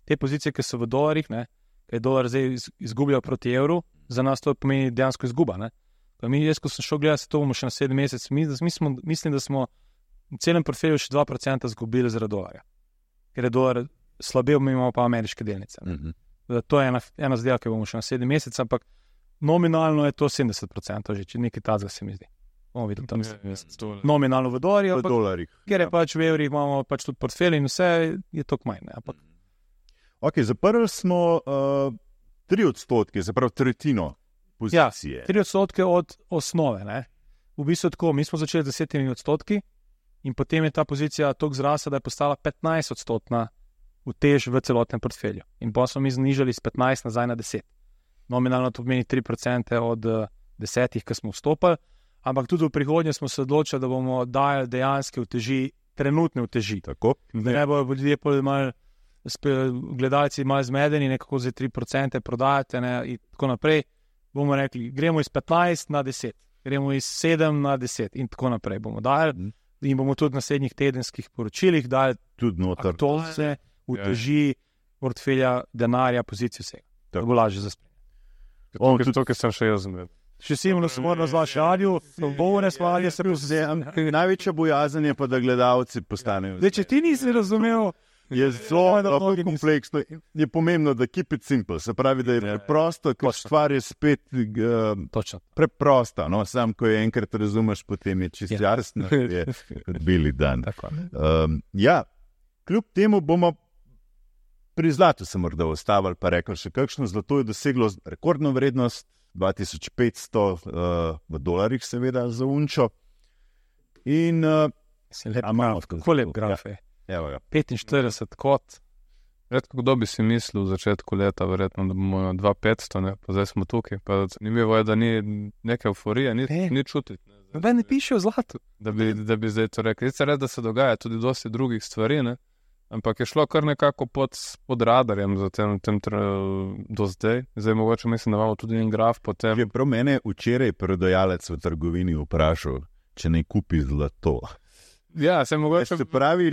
Te pozicije, ki so v dolarjih, ki je dolar zdaj izgubljal proti evru, za nas to pomeni dejansko izguba. Ne? Jaz, ko sem šel gledati, to bomo še naslednji mesec, mislim, da smo v celem portfelju še 2% izgubili zaradi dolarja. Ker je dolar slabel, mi imamo pa ameriške delnice. To je ena zadeva, ki bomo še naslednji mesec, ampak nominalno je to 70%, že če nekaj tazga se mi zdi. Bomo videli tam nominalno v dolarju, V dolarjih. ker je pač v evrih, imamo pač tudi portfelj in vse je toliko manj. Ne? Ampak Ok, zaprli smo 3%, se pravi tretjino pozicije. 3% od osnove. Ne? V bistvu tako, mi smo začeli z 10% in potem je ta pozicija toliko zrasla, da je postala 15% utež v celotnem portfelju. In pa smo mi znižali z 15 nazaj na 10. Nominalno to pomeni 3% od 10, ki smo vstopili, ampak tudi v prihodnje smo se odločili, da bomo dajali dejanske uteži, trenutne uteži. Tako? Da ne bojo ljudje malo, gledalci malo zmedeni, nekako za 3% prodajate in tako naprej. Bomo rekli, gremo iz 15 na 10, gremo iz 7 na 10 in tako naprej bomo dajali. in bomo tudi v naslednjih tedenskih poročilih dali Tudi noter. aktualne, uteži portfelja, denarja, pozicijo vsega. Tako. To bo lažje za spremljati. To, ki sem še jaz zmeden. Še Simon smo na zvašanju, bovne svalje se pozem. Največja bojazen je pa, da gledalci postanejo. Zdaj, če ti nisi razumel, Je zelo kompleksno. Je pomembno, da keep it simple. Se pravi, da je preprosto, ker stvar je spet točno. preprosta. No? Sam, ko je enkrat razumeš, potem je čisto jasno, je kot bili dan. Ja, kljub temu bomo pri zlatu se morda ustavili, pa rekli še kakšno zlato je doseglo rekordno vrednost, 2500 v dolarjih seveda za unčo. In kako lep graf je. 45 kot. Redko kdo bi si mislil v začetku leta, verjetno, da bomo na 2500, ne? Pa zdaj smo tukaj. Pa zanimivo je, da ni neke euforije, ni čutiti. Noben ne piše o zlatu. Da bi zdaj to rekli. Res, da se dogaja tudi dosti drugih stvari, ne? Ampak je šlo kar nekako pod radarjem za tem do zdaj. Zdaj mogoče mislim, da imamo tudi en graf potem. Je prav mene včeraj prodajalec v trgovini vprašal, če ne kupi zlato. Ja, se mogoče... Se pravi,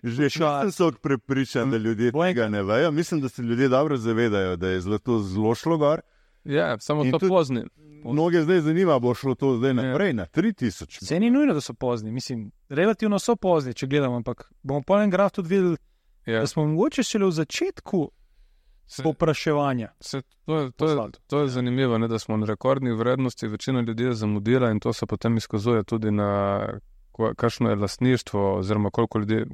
že čas so prepričan, da ljudje tega ne vejo. Mislim, da se ljudje dobro zavedajo, da je zlato zelo šlo gor. Ja, samo to pozni. Mnoge zdaj zanima, bo šlo to zdaj naprej na 3000. Se ni nujno, da so pozni. Mislim, relativno so pozni, če gledamo, ampak bomo po enem graf tudi videli, da smo mogoče šele v začetku povpraševanja. To je zanimivo, ne, da smo na rekordnih vrednosti, večina ljudi je zamudila in to se potem izkazuje tudi na kakšno je lastništvo oziroma koliko ljudi,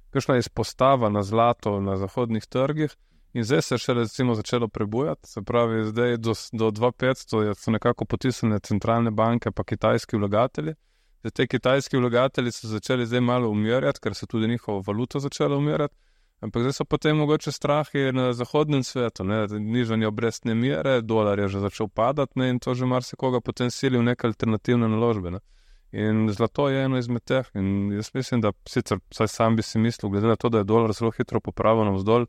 kakšna je izpostava na zlato na zahodnih trgih. In zdaj se še recimo začelo prebujati, se pravi, zdaj do 2500 so nekako potisnjene centralne banke pa kitajski vlagatelji. Zdaj te kitajski vlagatelji so začeli zdaj malo umirjati, ker se tudi njihova valuta začela umirjati, ampak zdaj so potem mogoče strahi na zahodnem svetu, ne, nižanje obrestne mere, dolar je že začel padati, ne, in to že marsikoga potem sili v neke alternativne naložbe, ne. In zlato je eno izmed teh in jaz mislim, da sicer vsaj sam bi si mislil, glede na to, da je dolar zelo hitro popravil navzdol,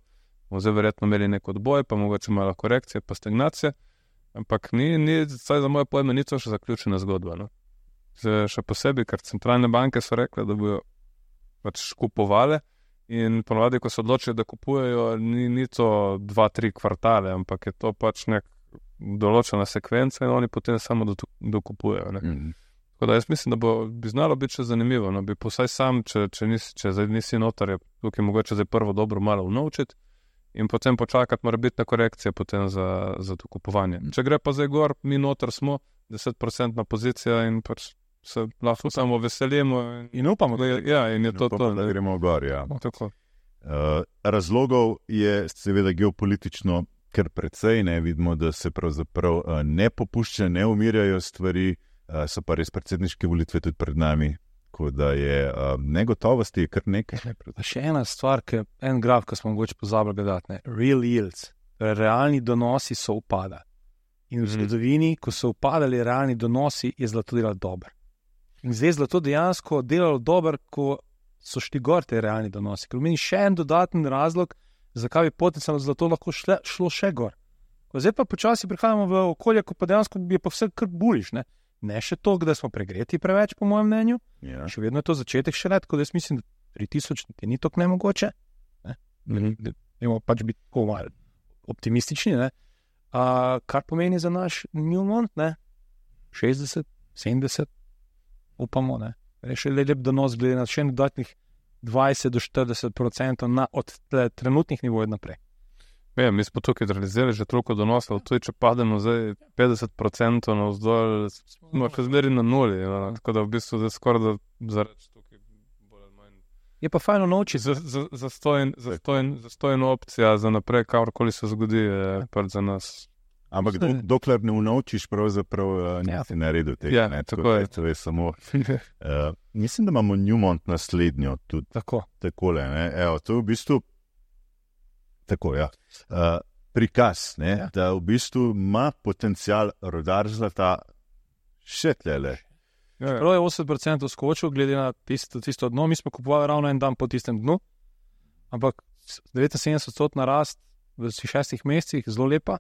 bomo zdaj verjetno imeli nek odboj, pa mogoče malo korekcije, pa stagnacije, ampak vsaj za moje pojme, ni to še zaključena zgodba. No? Še posebej, ker centralne banke so rekle, da bojo pač kupovale in ponovadi, ko se odločijo, da kupujejo, ni to 2-3 kvartale, ampak je to pač nek določena sekvenca in oni potem samo dokupujejo. Tako da jaz mislim, da bi znalo biti še zanimivo, no? Bi posaj sam, če zdaj nisi notar, je tukaj mogoče zdaj prvo dobro malo unovčiti, in potem počakati mora biti na korekcije potem za to kupovanje. Če gre pa zdaj gor, mi noter smo, 10% pozicija in pač se lahko samo veselimo. In upamo, da in je to. Da gremo gor, ja. Tako. Razlogov je seveda geopolitično kar precej, ne vidimo, da se pravzaprav ne popušča, ne umirjajo stvari, so pa res predsedniške volitve tudi pred nami. Tako da je negotovosti kar nekaj. Še ena stvar, en graf, ki smo mogoče pozabili gledati, real yields, realni donosi so upada. In v zgodovini, ko so upadali realni donosi, je zlato delalo dobro. In zdaj zlato dejansko delalo dobro, ko so šli gor te realni donosi. Ker meni še en dodaten razlog, zakaj bi potencialno zlato lahko šlo še gor. Zdaj pa počasi prihajamo v okolje, ko pa dejansko je pa vse kar buliš, ne? Ne še to, da smo pregreti preveč, po mojem mnenju. Ja. Še vedno je to začetek še let, tako da jaz mislim, da 3000 ni tako nemogoče. Imamo pač biti tako malo optimistični. Ne? Kar pomeni za naš Newmont, 60, 70, upamo. Še lep donos glede na še dodatnih 20 do 40% od trenutnih nivojev naprej. Ja, mi smo tukaj realizirali že toliko donosov, tudi če pademo zdaj 50% navzdol, smo še zmeri na nuli, tako da v bistvu zdaj skoraj da zareč tukaj bolj ali manj. Je pa fajno naučiti. Zastojna opcija za naprej, kakorkoli se zgodi, je pač za nas. Ampak dokler ne unaučiš, pravzaprav nisi naredil tega. Ja, tako je. To je samo... mislim, da imamo Newmont naslednjo tudi. Takole, ne. Evo, to je v bistvu tako, ja. Prikaz, da v bistvu ima potencial rodar zlata še tlele. Prav je 80% skočil, glede na tisto dno. Mi smo kupovali ravno en dan po tistem dnu, ampak 79% rast v 6 mesecih, zelo lepa.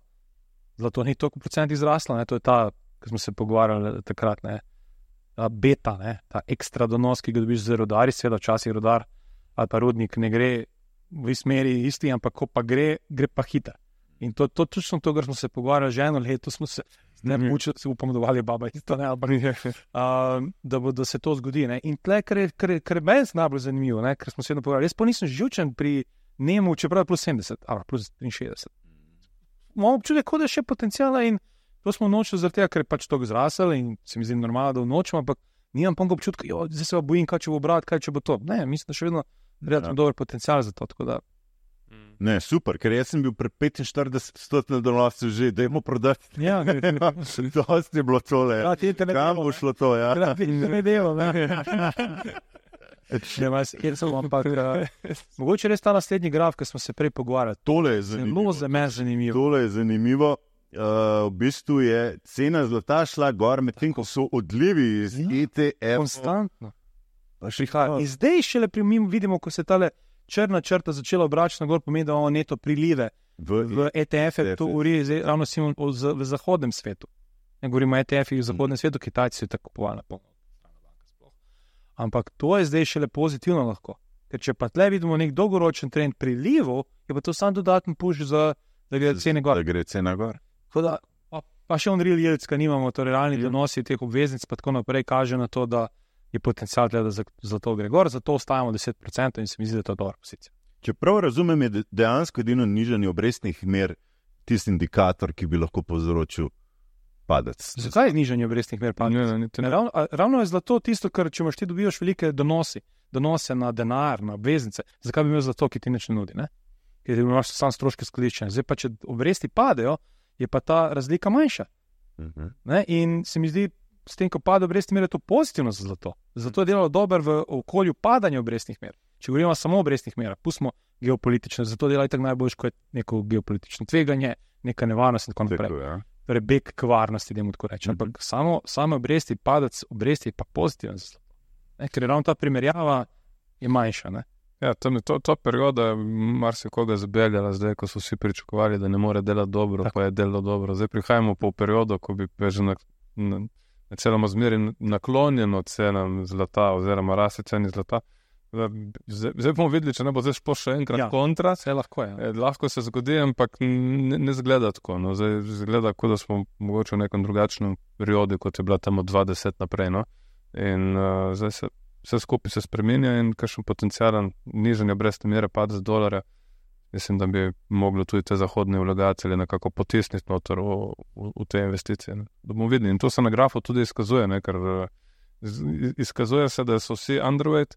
Zlato ni toliko procent izrasla, to je ta, ki smo se pogovarjali takrat. beta, ne, ta ekstra donos, ki ga dobiš z rodari, seveda včasih rodar ali pa rudnik ne gre v smeri isti, ampak ko pa gre pa hiter. In to točno to, kar smo se pogovarjali že eno leto, smo se učili, se upamo, da baba isto, ne, ampak da se to zgodi. Ne. In tle, kar je meni najbolj zanimivo, ne, ker smo se vedno pogovarjali, jaz pa nisem živčen pri njemu, čeprav je plus 70, ali plus 63. Imamo občutek, da je še potencijala in to smo nočili zaradi tega, ker je pač to zrasel in se mi zdi normalno, da vnočimo, ampak nimam pa občutka, zdaj se pa bojim, kaj če bo brat, kaj če bo to. Ne, mislim, da še vedno relativno dober potencijal za to, tako da. Ne, super, ker jaz sem bil pred 45 donosov že, dajmo prodati. Ja, dosti je bilo tole. Kam bo šlo to, ja? Ne delo, ne. Mogoče res ta naslednji graf, ki smo se prej pogovarjali. Tole je zanimivo. Zelo za me zanimivo. Tole je zanimivo. V bistvu je cena zlata šla gor, medtem ko so odlivi iz ETF. Konstantno. In zdaj šele vidimo, ko se tale črna črta začela obračati na gor, pomeni, da imamo neto prilive v ETF-e, to uri ravno v zahodnem svetu. Ne govorimo o ETF-ih v zahodnem svetu, Kitajci so tako kupovali na polno. Ampak to je zdaj šele pozitivno lahko. Ker če pa tle vidimo nek dolgoročen trend prilivov, je pa to sam dodaten push da gre cene gor. Da gre cena gor. Da, pa še on real yields, ki nimamo, torej realni donosi teh obveznic, pa tako naprej kaže na to, da je potencial tle, da zlato gre gor, zato ostajamo 10% in se mi zdi, da je to dobra pozicija. Če prav razumem, je dejansko edino nižanje obrestnih mer tisti indikator, ki bi lahko povzročil padec. Zakaj je nižanje obrestnih mer padec? Ravno je zlato tisto, ker če imaš ti dobivaš velike donose na denar, na obveznice, zakaj bi imel zlato, ki ti nič ne nudi, ne? Ker imaš sam stroške skladiščenja. Zdaj pa, če obresti padejo, je pa ta razlika manjša. Ne? In se mi zdi, s tem, ko pade obrestnih mer, je to pozitivno za zlato. Zato je delalo dobro v okolju padanja obrestnih mer. Če govorimo samo o obrestnih merah, pustimo geopolitične, zato dela itak najboljš, ko je neko geopolitično tveganje, neka nevarnost in tako naprej. Torej, beg k varnosti, da mu tako rečem. Ampak samo obresti, padec obresti je pa pozitiven za zlato. Ker je ravno ta primerjava je manjša, ne? Ja, to perioda je marsikoga zabeljala zdaj, ko so vsi pričakovali, da ne more delati dobro, pa je delalo dobro. Zdaj prihajamo po periodu, ko bi že na celom zmeri naklonjeno cenam zlata oziroma raste ceni zlata. Zdaj bomo videli, če ne bo zdaj še enkrat kontra. Lahko je. Lahko se zgodi, ampak ne zgleda tako. No. Zdaj zgleda, kot da smo mogoče v nekem drugačnem periodu, kot je bila tam od 20 naprej. No. In zdaj vse skupaj se spremenja in kakšen potencijalen nižanje obrestne mere padec dolarja. Mislim, da bi moglo tudi te zahodne vlagatelje nekako potisniti noter v te investicije. Ne. Da bomo videli. In to se na grafu tudi izkazuje, ne, ker izkazuje se, da so vsi underweight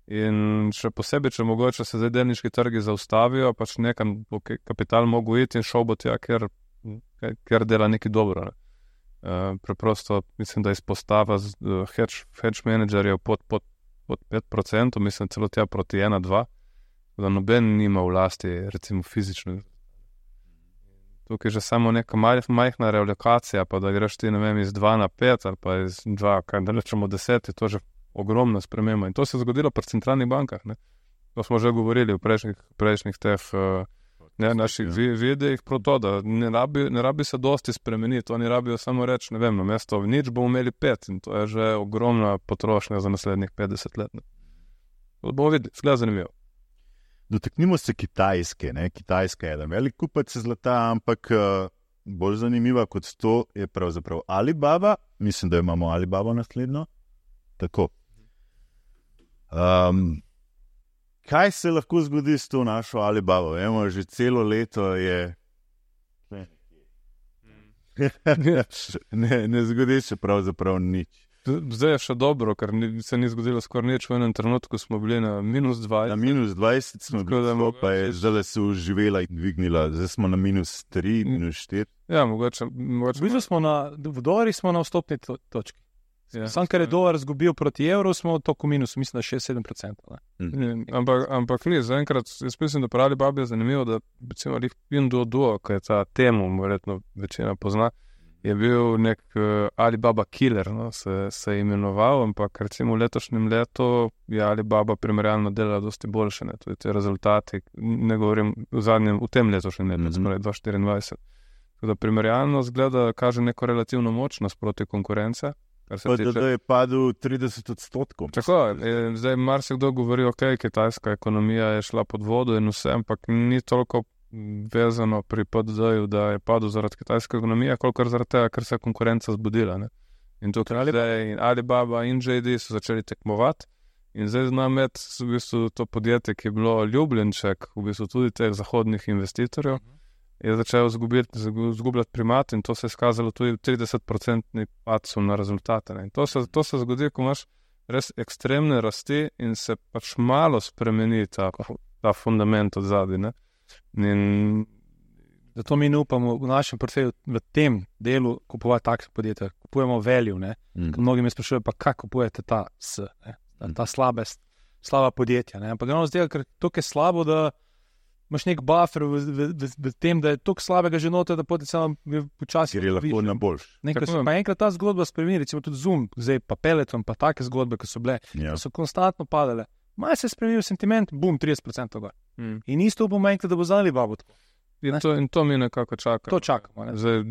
in še posebej, če mogoče se zdaj delniški trgi zaustavijo, pač nekam bo kapital mogel iti in šel bo tja, ker dela nekaj dobro. Ne. Preprosto mislim, da izpostava hedge menedžerjev pod 5%, mislim celo tja proti 1-2, da noben nima v lasti, recimo fizično. Tukaj že samo neka majhna realokacija, pa da greš ti, ne vem, iz 2 na 5 ali pa iz 2, kaj da rečemo 10, je to že ogromna sprememba. In to se je zgodilo pri centralnih bankah. Ne? To smo že govorili v prejšnjih teh naših videih, proto, da ne rabi se dosti spremeniti, oni rabijo samo reči, ne vem, na mesto nič bomo imeli 5 in to je že ogromna potrošnja za naslednjih 50 let. To bomo videli, zgleda zanimivo. Dotaknimo se Kitajske. Ne? Kitajska je eden velik kupec zlata, ampak bolj zanimiva kot to je pravzaprav Alibaba. Mislim, da imamo Alibaba naslednjo. Tako. Kaj se lahko zgodi s to našo Alibabo? Vemo, že celo leto je... ne zgodi se pravzaprav nič. Zdaj je še dobro, ker se ni zgodilo skoraj nič. V enem trenutku smo bili na -20. Na -20 smo bili, pa je zdaj se uživela in dvignila. Zdaj smo na -3, -4. Ja, mogoče. V dolarjih smo na vstopni točki. Ja, sam, ker je dolar izgubil proti evru, smo toliko minusu, mislim, da 6-7%. Ampak ni, zaenkrat, jaz mislim, da pri Alibabi je zanimivo, da recimo Pinduoduo, ki je ta temu, verjetno večina pozna, je bil nek Alibaba killer, no, se je imenoval, ampak recimo v letošnjem letu je Alibaba primerjalno delala dosti boljše, ne, tudi te rezultati, ne govorim v tem letošnjem letu, sprej 2024. Tako da primerjalno zgleda, kaže neko relativno močnost proti konkurence. kar se Pa tiče. da je padel 30%. Tako, zdaj marsikdo govori, ok, kitajska ekonomija je šla pod vodo in vse, ampak ni toliko vezano pri PDD-ju, da je padel zaradi kitajske ekonomije, kolikor zaradi tega, ker se je konkurenca zbudila. Ne? In tukaj zdaj Alibaba in JD so začeli tekmovati in zdaj zna imeti v bistvu to podjetje, ki je bilo ljubljenček v bistvu tudi teh zahodnih investitorjev, je začel zgubljati primat in to se je skazalo tudi v 30% padcu na rezultate. Ne? In to se zgodi, ko imaš res ekstremne rasti in se pač malo spremeni ta fundament od zadaj. In zato mi ne upamo v našem portfelju v tem delu kupovati takšne podjetja. Kupujemo value, ne? Mnogi me sprašujejo, pa kako kupujete ta slaba podjetja. Ne? Ampak ravno zdaj, ker to je slabo, da imaš nek buffer v tem, da je toliko slabega že noter, da potencialno počasi Ker je lahko na boljš. Pa enkrat ta zgodba spremeni, recimo tudi Zoom, zdaj pa Peloton, pa take zgodbe, ki so bile, ki so konstantno padale. Malo se je spremenil sentiment, boom, 30% gor. In isto bomo enkrat, da bo za Alibaba tako. In to mi nekako čaka. To čakamo. Ne? Zdaj,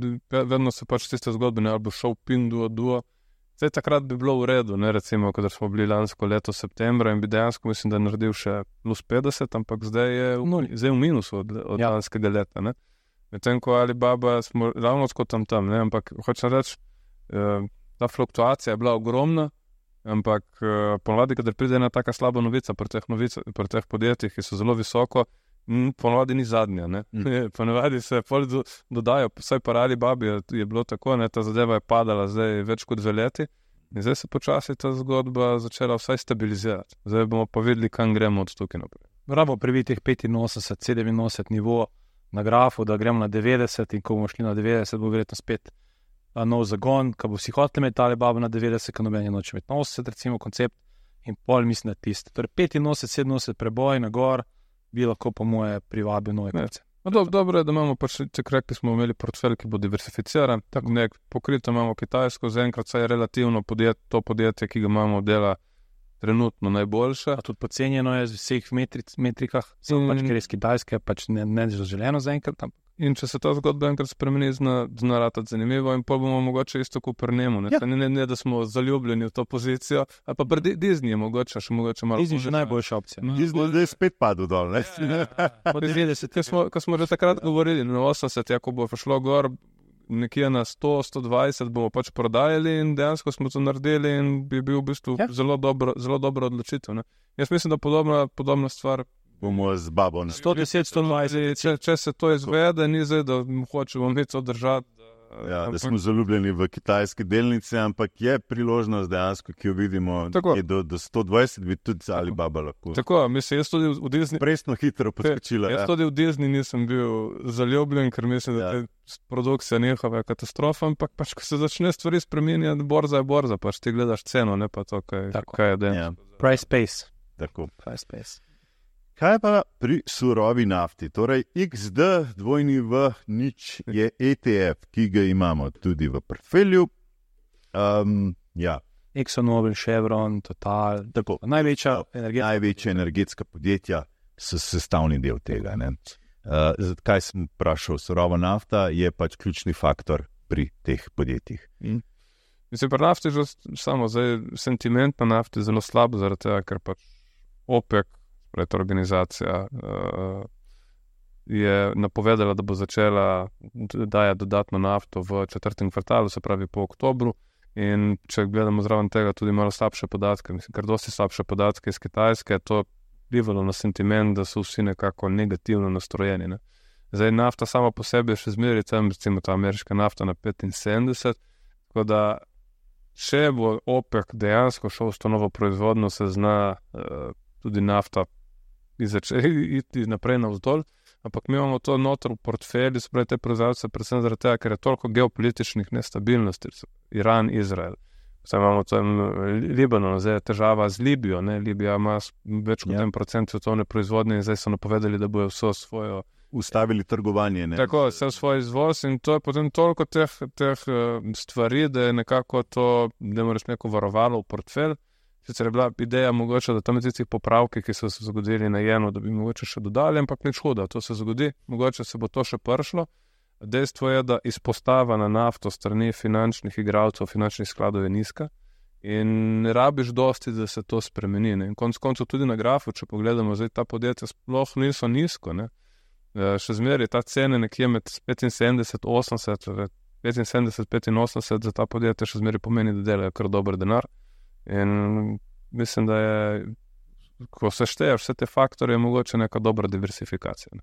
vedno se pač tiste zgodbe, ne, ali bo šel Pinduoduo. Zdaj takrat bi bilo v redu, ne, recimo, kadar smo bili lansko leto septembra in bi dejansko, mislim, da je naredil še plus 50, ampak zdaj je v minusu od lanskega leta. Ne. Medtem ko Alibaba smo ravno tako tam, ne, ampak hočem reči, ta fluktuacija je bila ogromna, ampak ponovadi, kadar pride ena taka slaba novica pri teh podjetjih, ki so zelo visoko, ponovadi ni zadnja. Ponovadi se dodajo, vsaj pa Alibabi je bilo tako, ne, ta zadeva je padala zdaj več kot 2 leti in zdaj se počasi ta zgodba začela vsaj stabilizirati. Zdaj bomo pa videli, kam gremo od tukaj naprej. Moramo previti teh 85, 87 nivo na grafu, da gremo na 90 in ko bomo šli na 90, bo verjetno spet nov zagon, ko bo vsi hoteli imeti Alibaba na 90, ko noben je noče imeti na 80, recimo koncept in pol mislim na tisto. Torej 85, 87 preboj na gor, bi lahko po moje privabil nove kupce. Dobro je, da imamo pač, če rekli smo imeli portfelj, ki bo diversificiran, tako nek pokrito imamo Kitajsko, zaenkrat saj je relativno to podjetje, ki ga imamo dela trenutno najboljše. A tudi pocenjeno je z vseh metrikah, pač ker je iz Kitajske, pač ne zaželeno zaenkrat tam. In če se ta zgodba enkrat spremeni, zna ratati zanimivo in pa bomo mogoče isto kot pri njemu. Ne, da smo zaljubljeni v to pozicijo, ali pa pri Disney je mogoče malo. Disney je že najboljša opcija. Disney je spet padel dol. Ko smo že takrat govorili, na 80, ko bo šlo gor nekje na 100, 120, bomo pač prodajali in dejansko smo to naredili in bi bil v bistvu zelo dobro odločitev. Ne? Jaz mislim, da podobna stvar bomo z babo. 110, 120. Če se to izvede, ni zdaj, da hočemo mi to držati. Da smo zaljubljeni v kitajske delnice, ampak je priložnost dejansko, ki jo vidimo, je do 120 bi tudi Alibaba lahko. Tako, mislim, jaz tudi v Disney... Presno hitro poskočila. Jaz tudi v Disney nisem bil zaljubljen, ker mislim, da je produkcija njihova katastrofa, ampak pač, ko se začne stvari spremenjati, borza je borza, pač ti gledaš ceno, ne pa to, kaj je dejansko. Price space. Tako. Price space. Kaj pa pri surovi nafti? Torej, XD2V nič je ETF, ki ga imamo tudi v portfelju. ExxonMobil, Chevron, Total, tako. Največja energetska podjetja so sestavni del tega. Kaj sem vprašal? Surova nafta je pač ključni faktor pri teh podjetjih. Mislim, pri nafti že samo zdaj sentiment na nafti zelo slab, zaradi tega, ker pač OPEC, ta organizacija, je napovedala, da bo začela dajati dodatno nafto v 4. kvartalu, se pravi po oktobru. In če gledamo zraven tega tudi malo slabše podatke, mislim, ker dosti slabše podatke iz Kitajske, to vplivalo na sentiment, da so vsi nekako negativno nastrojeni. Ne. Zdaj nafta sama po sebi je še zmeri, tam recimo ta ameriška nafta na 75, tako da če bo OPEC dejansko šel s to novo proizvodno, se zna tudi nafta iti naprej navzdol, ampak mi imamo to noter v portfelju, se pravi te proizvajalce, predvsem zaradi tega, ker je toliko geopolitičnih nestabilnosti, Iran, Izrael. Zdaj imamo tam Libanon, zdaj je težava z Libijo, ne? Libija ima več kot 1% svetovne proizvodnje in zdaj so napovedali, da bojo vso svojo ustavili trgovanje. Ne? Tako, vse svoj izvoz in to je potem toliko teh stvari, da je nekako to, da moraš neko varovalo v portfelj. Sicer je bila ideja mogoče, da tam tistih popravki, ki so se zgodili na jenu, da bi mogoče še dodali, ampak nič huda, to se zgodi, mogoče se bo to še pršlo. Dejstvo je, da izpostava na nafto strani finančnih igralcev, finančnih skladov je nizka in ne rabiš dosti, da se to spremeni. Ne? In konec koncev tudi na grafu, če pogledamo, zdaj ta podjetja sploh niso nizko. Ne? Še zmeraj ta cena nekje med 75-80, 75-85 za ta podjetja še zmeraj pomeni, da delajo kar dober denar. In mislim, da je, ko se šteješ vse te faktore, je mogoče neka dobra diversifikacija. Ne?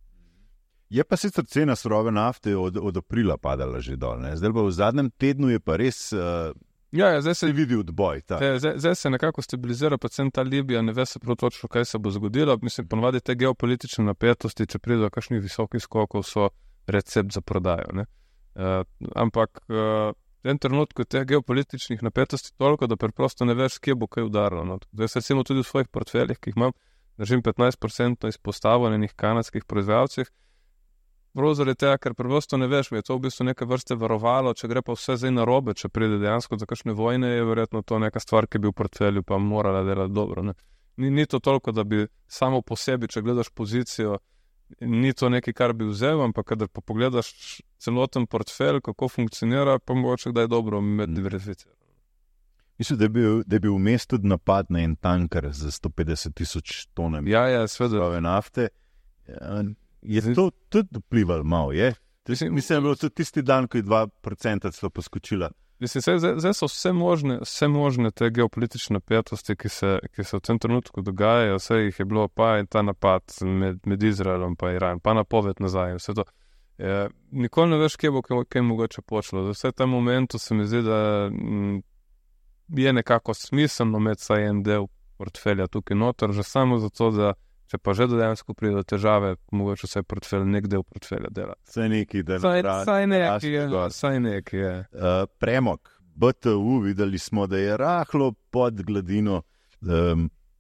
Je pa sicer cena surove nafte od aprila padala že dol. Ne? Zdaj pa v zadnjem tednu je pa res zdaj se vidi odboj. Zdaj se nekako stabilizira, predvsem ta Libija, ne ve se prav točno, kaj se bo zgodilo. Mislim, ponovadi te geopolitične napetosti, če pride do kakšnih visokih skokov, so recept za prodajo. Ne? Ampak v tem trenutku teh geopolitičnih napetosti toliko, da preprosto ne veš, kje bo kaj udarilo. No? Zdaj se recimo tudi v svojih portfeljih, ki jih imam, držim 15% izpostavo na enih kanadskih proizvajalcih, prav zaradi tega, ker preprosto ne veš, je to v bistvu neke vrste varovalo, če gre pa vse zdaj narobe, če pride dejansko za kakšne vojne, je verjetno to neka stvar, ki bi v portfelju pa morala delati dobro. Ne? Ni to toliko, da bi samo po sebi, če gledaš pozicijo, ni to nekaj, kar bi vzel, ampak kadar pa pogledaš celoten portfelj, kako funkcionira, pa mogoče kdaj dobro med diversificijo. Mislim, da je bil vmes tudi napad na en tanker z 150,000 tonami surove nafte. Je to tudi vplivalo malo, je? Mislim, da je bilo tudi tisti dan, ko je 2% celo poskočila. Mislim, zdaj so vse možne te geopolitične napetosti, ki se v tem trenutku dogajajo, vse jih je bilo, pa in ta napad med Izraelom pa Iran, pa napoved nazaj, vse to. Nikoli ne veš, kje bo kaj mogoče počelo. Vse v tem momentu se mi zdi, da je nekako smiselno imeti saj en del portfelja tukaj noter, že samo zato, da če pa že dejansko pride do težave, mogoče vse portfelj, nek del portfelja dela. Saj neki, da Saj neki je. Premog, BTU, videli smo, da je rahlo pod gladino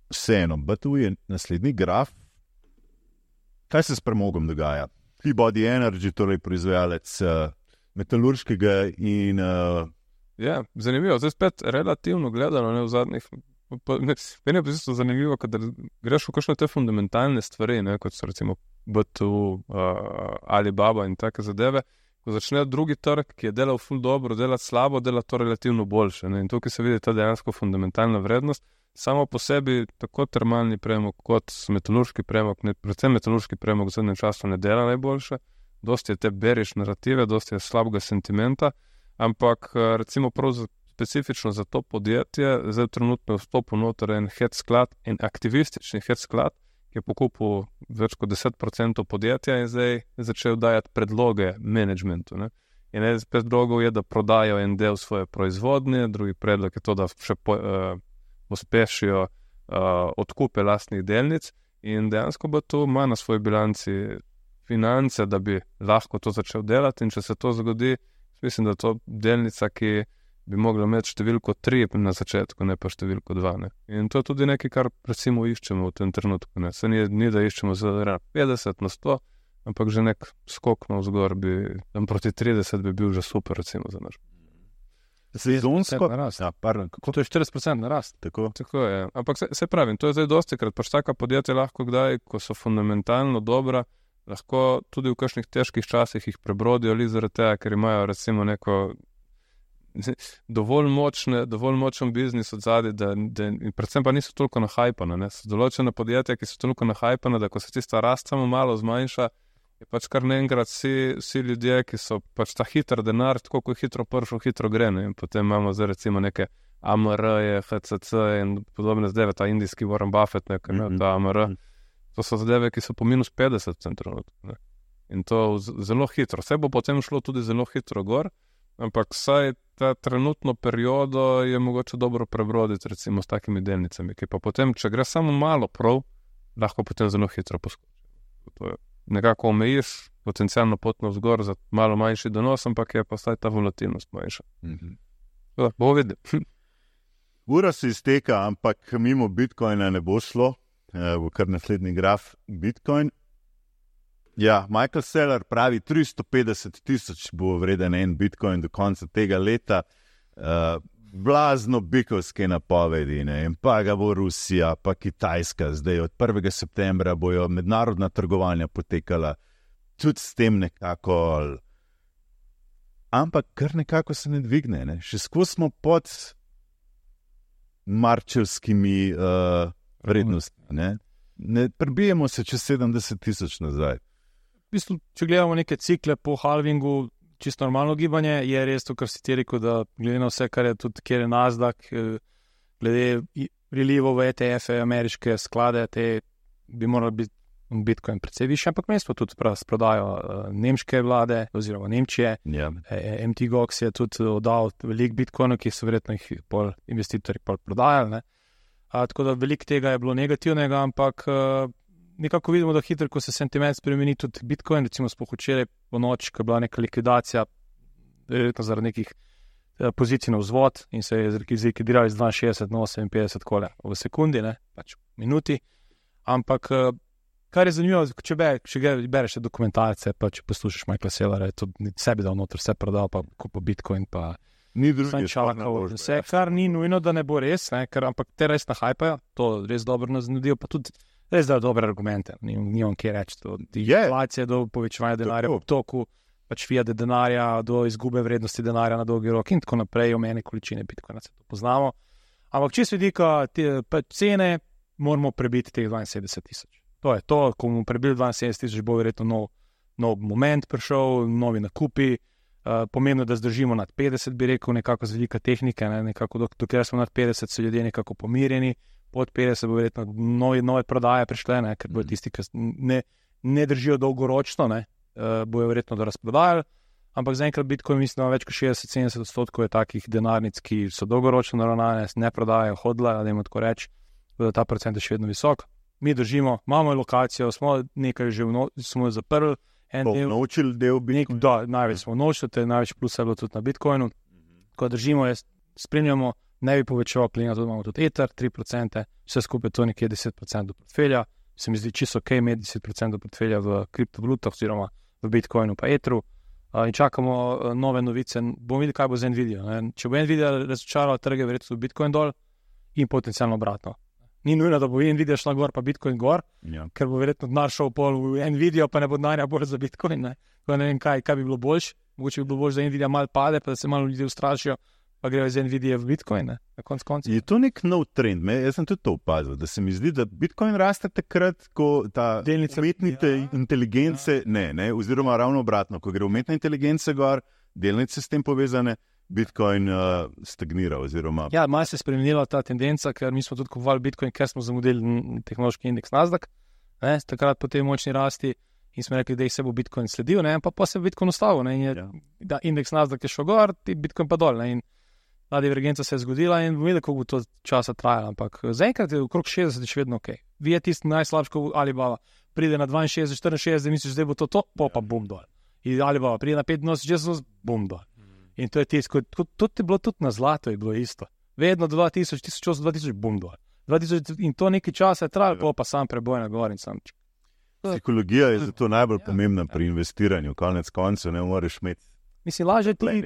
vseeno. BTU je naslednji graf. Kaj se s premogom dogaja? Peabody Energy, torej proizvajalec metalurškega in... Zanimivo. Zdaj spet relativno gledano, ne v zadnjih... Meni je pa zanimivo, kada greš v kakšne te fundamentalne stvari, ne, kot so recimo BTU, Alibaba in take zadeve, ko začne drugi trg, ki je delal ful dobro, delati slabo, delati to relativno boljše. Ne. In tukaj se vidi ta dejansko fundamentalna vrednost. Samo po sebi tako termalni premog kot metalurški premog, predvsem metalurški premog v zadnjem času ne dela najboljše. Dosti je te bearish narative, dosti je slabega sentimenta, ampak recimo prav specifično za to podjetje, zdaj trenutno vstopu noter en hedge sklad, en aktivistični hedge sklad, ki je pokupil več kot 10% podjetja in zdaj začel dajati predloge managementu. Ne? In en predlogov je, da prodajo en del svoje proizvodnje, drugi predlog je to, da še uspešijo odkupe lastnih delnic in dejansko bo to ima na svoji bilanci finance, da bi lahko to začel delati in če se to zgodi, mislim, da to delnica, ki bi mogla imeti številko 3 na začetku, ne pa številko 2. Ne? In to je tudi nekaj, kar recimo iščemo v tem trenutku. Ne? Se ni, da iščemo za 50 na 100, ampak že nek skok na vzgor bi, tam proti 30 bi bil že super, recimo za naš. Sezonsko? To je 40% narast. Tako je. Ampak se pravim, to je zdaj dosti krat, pač taka podjetja lahko kdaj, ko so fundamentalno dobra, lahko tudi v kakšnih težkih časih jih prebrodijo ali zaradi tega, ker imajo recimo neko dovolj močen biznis od zadaj, in predvsem pa niso toliko nahajpane. So določene podjetja, ki so toliko nahajpane, da ko se tista rast samo malo zmanjša, je pač kar naenkrat vsi ljudje, ki so pač ta hiter denar, tako ko je hitro prišel, hitro gre. Ne? In potem imamo zdaj recimo neke AMR-je, HCC in podobne zadeve, ta indijski Warren Buffett, ta AMR. To so zadeve, ki so po minus 50%. Ne? In to zelo hitro. Vse bo potem šlo tudi zelo hitro gor, ampak vsaj ta trenutno periodo je mogoče dobro prebroditi recimo s takimi delnicami, ki pa potem, če gre samo malo prav, lahko potem zelo hitro poskoči. To je nekako omejiš potencialno pot navzgor za malo manjši donos, ampak je pa vsaj ta volatilnost manjša. Bo videl. Ura se izteka, ampak mimo Bitcoina ne bo šlo, bo kar naslednji graf Bitcoin. Ja, Michael Saylor pravi, 350,000 bo vreden en Bitcoin do konca tega leta. Blazno bikovske napovedi, ne? In pa ga bo Rusija, pa Kitajska. Zdaj od 1. septembra bojo mednarodna trgovanja potekala tudi s tem nekako ampak kar nekako se ne dvigne. Ne? Še skozi smo pod marčevskimi vrednostmi. Ne prebijemo se čez 70,000 nazaj. V bistvu, če gledamo neke cikle po halvingu, čisto normalno gibanje, je res to, kar si ti rekel, da glede na vse, kar je tudi, kjer je Nasdaq, glede prilivov v ETF-e, ameriške sklade, te bi morali biti Bitcoin precej više, ampak mesto tudi prodajo nemške vlade oziroma Nemčije. MT Gox je tudi oddal veliko Bitcoinov, ki so verjetno jih investitorji prodajali. Tako da veliko tega je bilo negativnega, ampak nekako vidimo, da hitro, ko se sentiment spremeni tudi Bitcoin, recimo sploh včeraj po noč, ko je bila neka likvidacija, verjetno zaradi nekih pozicij na vzvod in se je zlikvidirali z 62 na 58 kole v sekundi, pač v minuti, ampak kar je zanimivo, če bereš dokumentarce, pa če poslušaš Michaela Saylora, je to sebi dal noter, vse prodal, pa kupo Bitcoin, pa ni drugih vse, kar ni nujno, da ne bo res, ampak te res nahajpajo, to res dobro nas nudijo, pa tudi res dajo dobre argumente, ni on kje reči, od inflacije do povečevanja denarja v obtoku, pač fiat denarja, do izgube vrednosti denarja na dolgi rok in tako naprej, omejene količine Bitcoina, se to poznamo, ampak čisto vidika cene, moramo prebiti teh 72,000. To je to, ko bomo prebili 72,000, bo verjetno nov moment prišel, novi nakupi, pomembno, da zdržimo nad 50, bi rekel, nekako z velika tehnike, nekako dokler smo nad 50, so ljudje nekako pomirjeni, pod 50 bo verjetno nove prodaje prišle, ker bodo tisti, ki ne držijo dolgoročno, bojo verjetno da razprodajali, ampak zaenkrat Bitcoin mislim, da več kot 60-70% je takih denarnic, ki so dolgoročno naravnane, ne prodajajo, hodlajo, da jim tako reči, da ta procent je še vedno visok. Mi držimo, imamo lokacijo, smo nekaj že smo zaprli, naučili del Bitcoina. Da, največ smo naučili, največ plus je bilo tudi na Bitcoinu. Ko držimo, spremljamo, ne bi povečeval klina, tudi imamo tudi Ether, 3%, vse skupaj to nekje 10% portfelja. Se mi zdi čisto ok, imeti 10% portfelja v kriptovalutah oziroma v Bitcoinu pa Etheru. In čakamo nove novice, bomo videli, kaj bo z Nvidia. Če bo Nvidia razočarala trge, verjetno bo Bitcoin dol in potencialno obratno. Ni nujno, da bo Nvidia šla gor, pa Bitcoin gor, ker bo verjetno denar šel pol v Nvidia, pa ne bo denarja bolj za Bitcoin. Ne vem, kaj bi bilo boljše. Mogoče bi bilo boljše, da Nvidia malo pade, pa da se malo ljudi ustrašijo, pa grejo iz Nvidia v Bitcoin. Na koncu konca. Je to nek nov trend? Jaz sem tudi to opazil, da se mi zdi, da Bitcoin raste takrat, ko ta umetne inteligence, oziroma ravno obratno, ko gre umetna inteligence gor, delnice s tem povezane, Bitcoin stagnira oziroma... Ja, malo se je spremenila ta tendenca, ker mi smo tudi kupovali Bitcoin, ker smo zamudili tehnološki indeks Nasdaq, takrat po tej močni rasti in smo rekli, da jih se bo Bitcoin sledil, pa se je Bitcoin ustavil, da indeks Nasdaq je šel gor, Bitcoin pa dol, in ta divergenca se je zgodila in bomo videli, koliko bo to časa trajalo, ampak zaenkrat je okrog 60 še vedno ok. Vi je tisti najslabši, ko Alibaba pride na 62, 64, misliš, da bo to, pa bum dol. In Alibaba pride na 85, bum dol. In to je tisto, tudi je bilo tudi na zlato, je bilo isto. Vedno do 2000, 1800, 2000, bum dol. 2000, in to nekaj časa je trajalo, pa sam preboj na gor in sam. Psihologija je zato najbolj pomembna pri investiranju, konec koncev ne moreš imeti. Mislim, lažje ti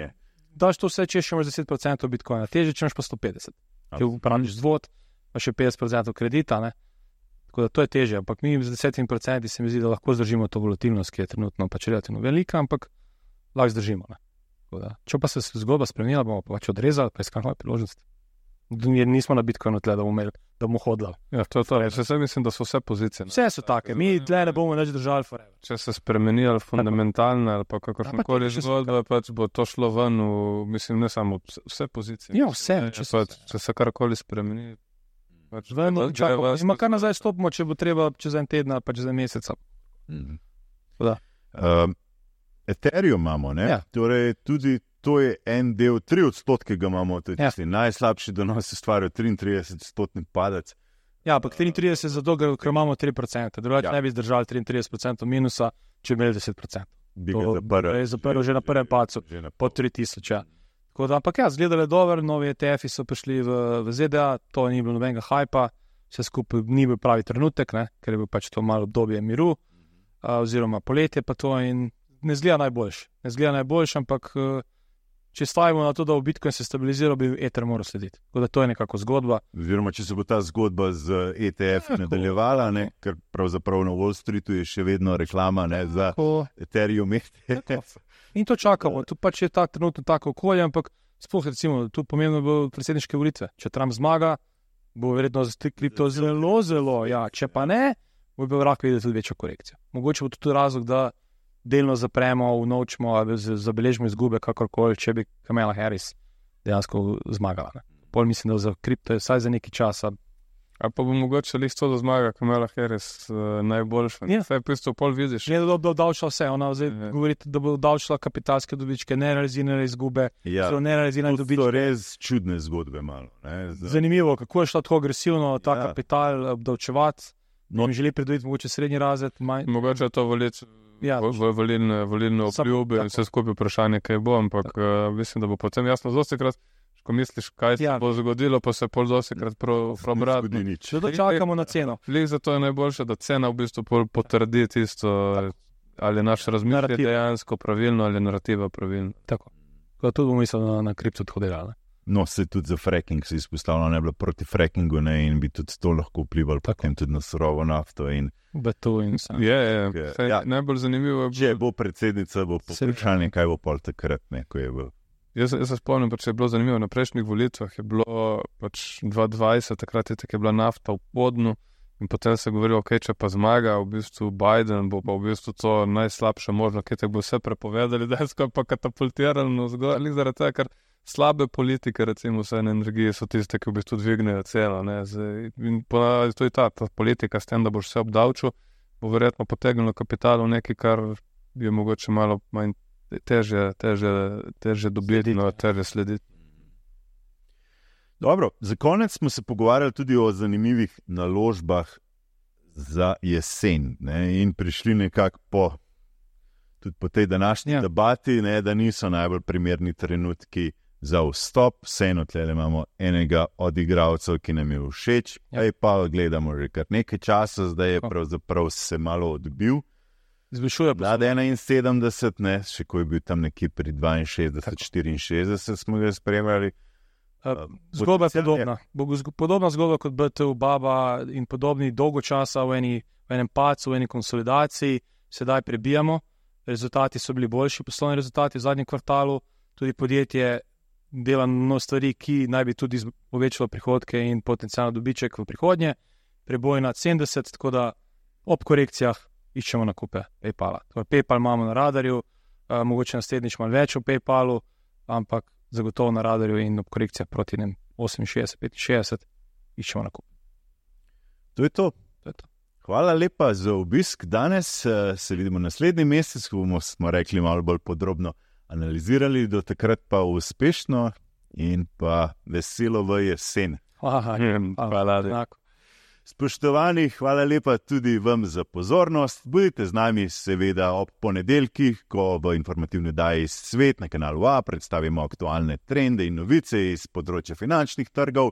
daš to vse, če še imaš 10% Bitcoina, teže, če imaš pa 150. Ti upravljaš zvod, pa še 50% kredita, tako da to je teže, ampak mi z 10% se mi zdi, da lahko zdržimo to volatilnost, ki je trenutno pač relativno velika, ampak lahko zdržimo, Če pa se zgodba spremenila, bomo pač odrezali, pa iskali nove priložnosti. Nismo na Bitcoinu tle, da bomo hodili. Ja, to je to. Jaz mislim, da so vse pozicije. Vse so take, mi tle ne bomo več držali forever. Če se spremeni ali fundamentalno ali pa kakršnokoli zgodba, pač bo to šlo ven mislim, ne samo vse pozicije. Ja, vse. Če se karkoli spremeni. Ima kar nazaj stopimo, če bo treba čez en teden, pa čez en mesec. Ethereum imamo, torej tudi to je en del, 3% ga imamo, to je tisti najslabši donos, se stvarijo 33% padec. Ja, ampak 33% zato, ker imamo 3%, drugače ne bi zdržali 33% minusa, če bi imeli 10%. Bi ga zaprl že na prvem pacu, po 3000. Tako da, ampak zgledalo je dobro, novi ETF-i so prišli v ZDA, to ni bilo nobenega hajpa, vse skupaj ni bil pravi trenutek, ker je bil pač to malo obdobje miru, oziroma poletje pa to in ne zgleda najboljš, ampak če stavimo na to, da v Bitcoin se stabilizira, bi Ether moral slediti. Tako da to je nekako zgodba. Oziroma, če se bo ta zgodba z ETF nadaljevala, ker pravzaprav na Wall Streetu je še vedno reklama za Ethereum ETF. In to čakamo, tu pač je ta trenutno tako okolje, ampak sploh recimo, tu pomembno bo predsedniške volitve. Če Trump zmaga, bo verjetno za kripto zelo, ja, če pa ne, bo bil lahko videti tudi večjo korekcijo. Mogoče bo tudi razlog, da delno zapremo, unovčimo ali zabeležimo izgube, kakorkoli, če bi Kamala Harris dejansko zmagala. Ne. Pol mislim, da za kripto je vsaj za nekaj časa. A pa bo mogoče lih to, da zmaga Kamala Harris najboljša. Ja. Vse pisto pol vidiš. Ne, da bo davčila vse. Ona zdaj govori, da bo davčila kapitalske dobičke, nerealizirane izgube, zelo nerealizirane dobičke. To so res čudne zgodbe malo. Zanimivo, kako je šlo tako agresivno ta kapital obdavčevati. No, želi pridobiti mogoče srednji razred. Mogoče je to volilne obljube in vse skupaj vprašanje, kaj bo, ampak mislim, da bo potem jasno dostikrat, ko misliš, kaj se bo zgodilo, pa se pol dostikrat probrati. Če to čakamo na ceno. Lih zato je najboljše, da cena v bistvu pol potrdi tisto, ali je naš razmišljanje dejansko pravilno, ali je narativa pravilno. Tako. Tudi bomo mislili na kripto tako delali. No, se tudi za fracking se izpostavlja, ne bilo proti frackingu, ne, in bi tudi to lahko vplivalo potem tudi na surovo nafto in beton in vse. Je. Najbolj zanimivo je, če bo predsednica, bo vprašanje, kaj bo pol takrat, ne, ko je bil. Jaz se spomnim, pač je bilo zanimivo, na prejšnjih volitvah je bilo pač 2020, takrat je bila nafta v podnu in potem se je govorilo, ok, če pa zmaga v bistvu Biden, bo pa v bistvu to najslabše možno, kaj te bo vse prepovedali, da je skoro pa katapultirano zgor, ali zaradi tega, ker slabe politike, recimo vse energije so tiste, ki v bistvu dvignejo celo, ne, in ponavadi to je ta politika s tem, da boš vse obdavčil, bo verjetno potegnilo kapital v nekaj, kar je mogoče malo manj težje dobiti, no, težje slediti. Dobro, za konec smo se pogovarjali tudi o zanimivih naložbah za jesen, ne, in prišli nekako tudi po tej današnji debati, ne, da niso najbolj primerni trenutki za vstop. Vseeno tlele imamo enega od igralcev, ki nam je všeč, pa gledamo že kar nekaj časa, zdaj je pravzaprav se malo odbil. Zvišuje Vlada 71, ne, še ko je bil tam nekje pri 62, 64 smo ga spremljali. Zgodba je podobna. Podobna zgodba kot BTU Baba in podobni dolgo časa v enem pacu, v eni konsolidaciji, sedaj prebijamo. Rezultati so bili boljši, poslovni rezultati v zadnjem kvartalu, tudi podjetje dela mnogo stvari, ki naj bi tudi povečalo prihodke in potencijalno dobiček v prihodnje. Preboj nad 70, tako da ob korekcijah iščemo nakupe PayPala. PayPal imamo na radarju, mogoče naslednjič malo več v PayPalu, ampak zagotovo na radarju in ob korekcijah proti 68, 65 iščemo nakupe. To je to. Hvala lepa za obisk danes. Se vidimo naslednji mesec, ko smo rekli malo bolj podrobno analizirali, do takrat pa uspešno in pa veselo v jesen. Hvala. Spoštovani, hvala lepa tudi vam za pozornost. Budite z nami seveda ob ponedeljkih, ko v informativni oddaji Svet na kanalu A predstavimo aktualne trende in novice iz področja finančnih trgov.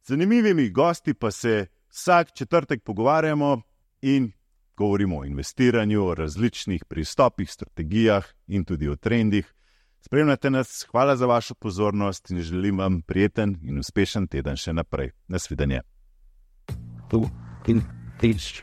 Z zanimivimi gosti pa se vsak četrtek pogovarjamo in govorimo o investiranju, o različnih pristopih, strategijah in tudi o trendih. Spremljate nas, hvala za vašo pozornost in želim vam prijeten in uspešen teden še naprej. Nasvidenje. Tu in tiš.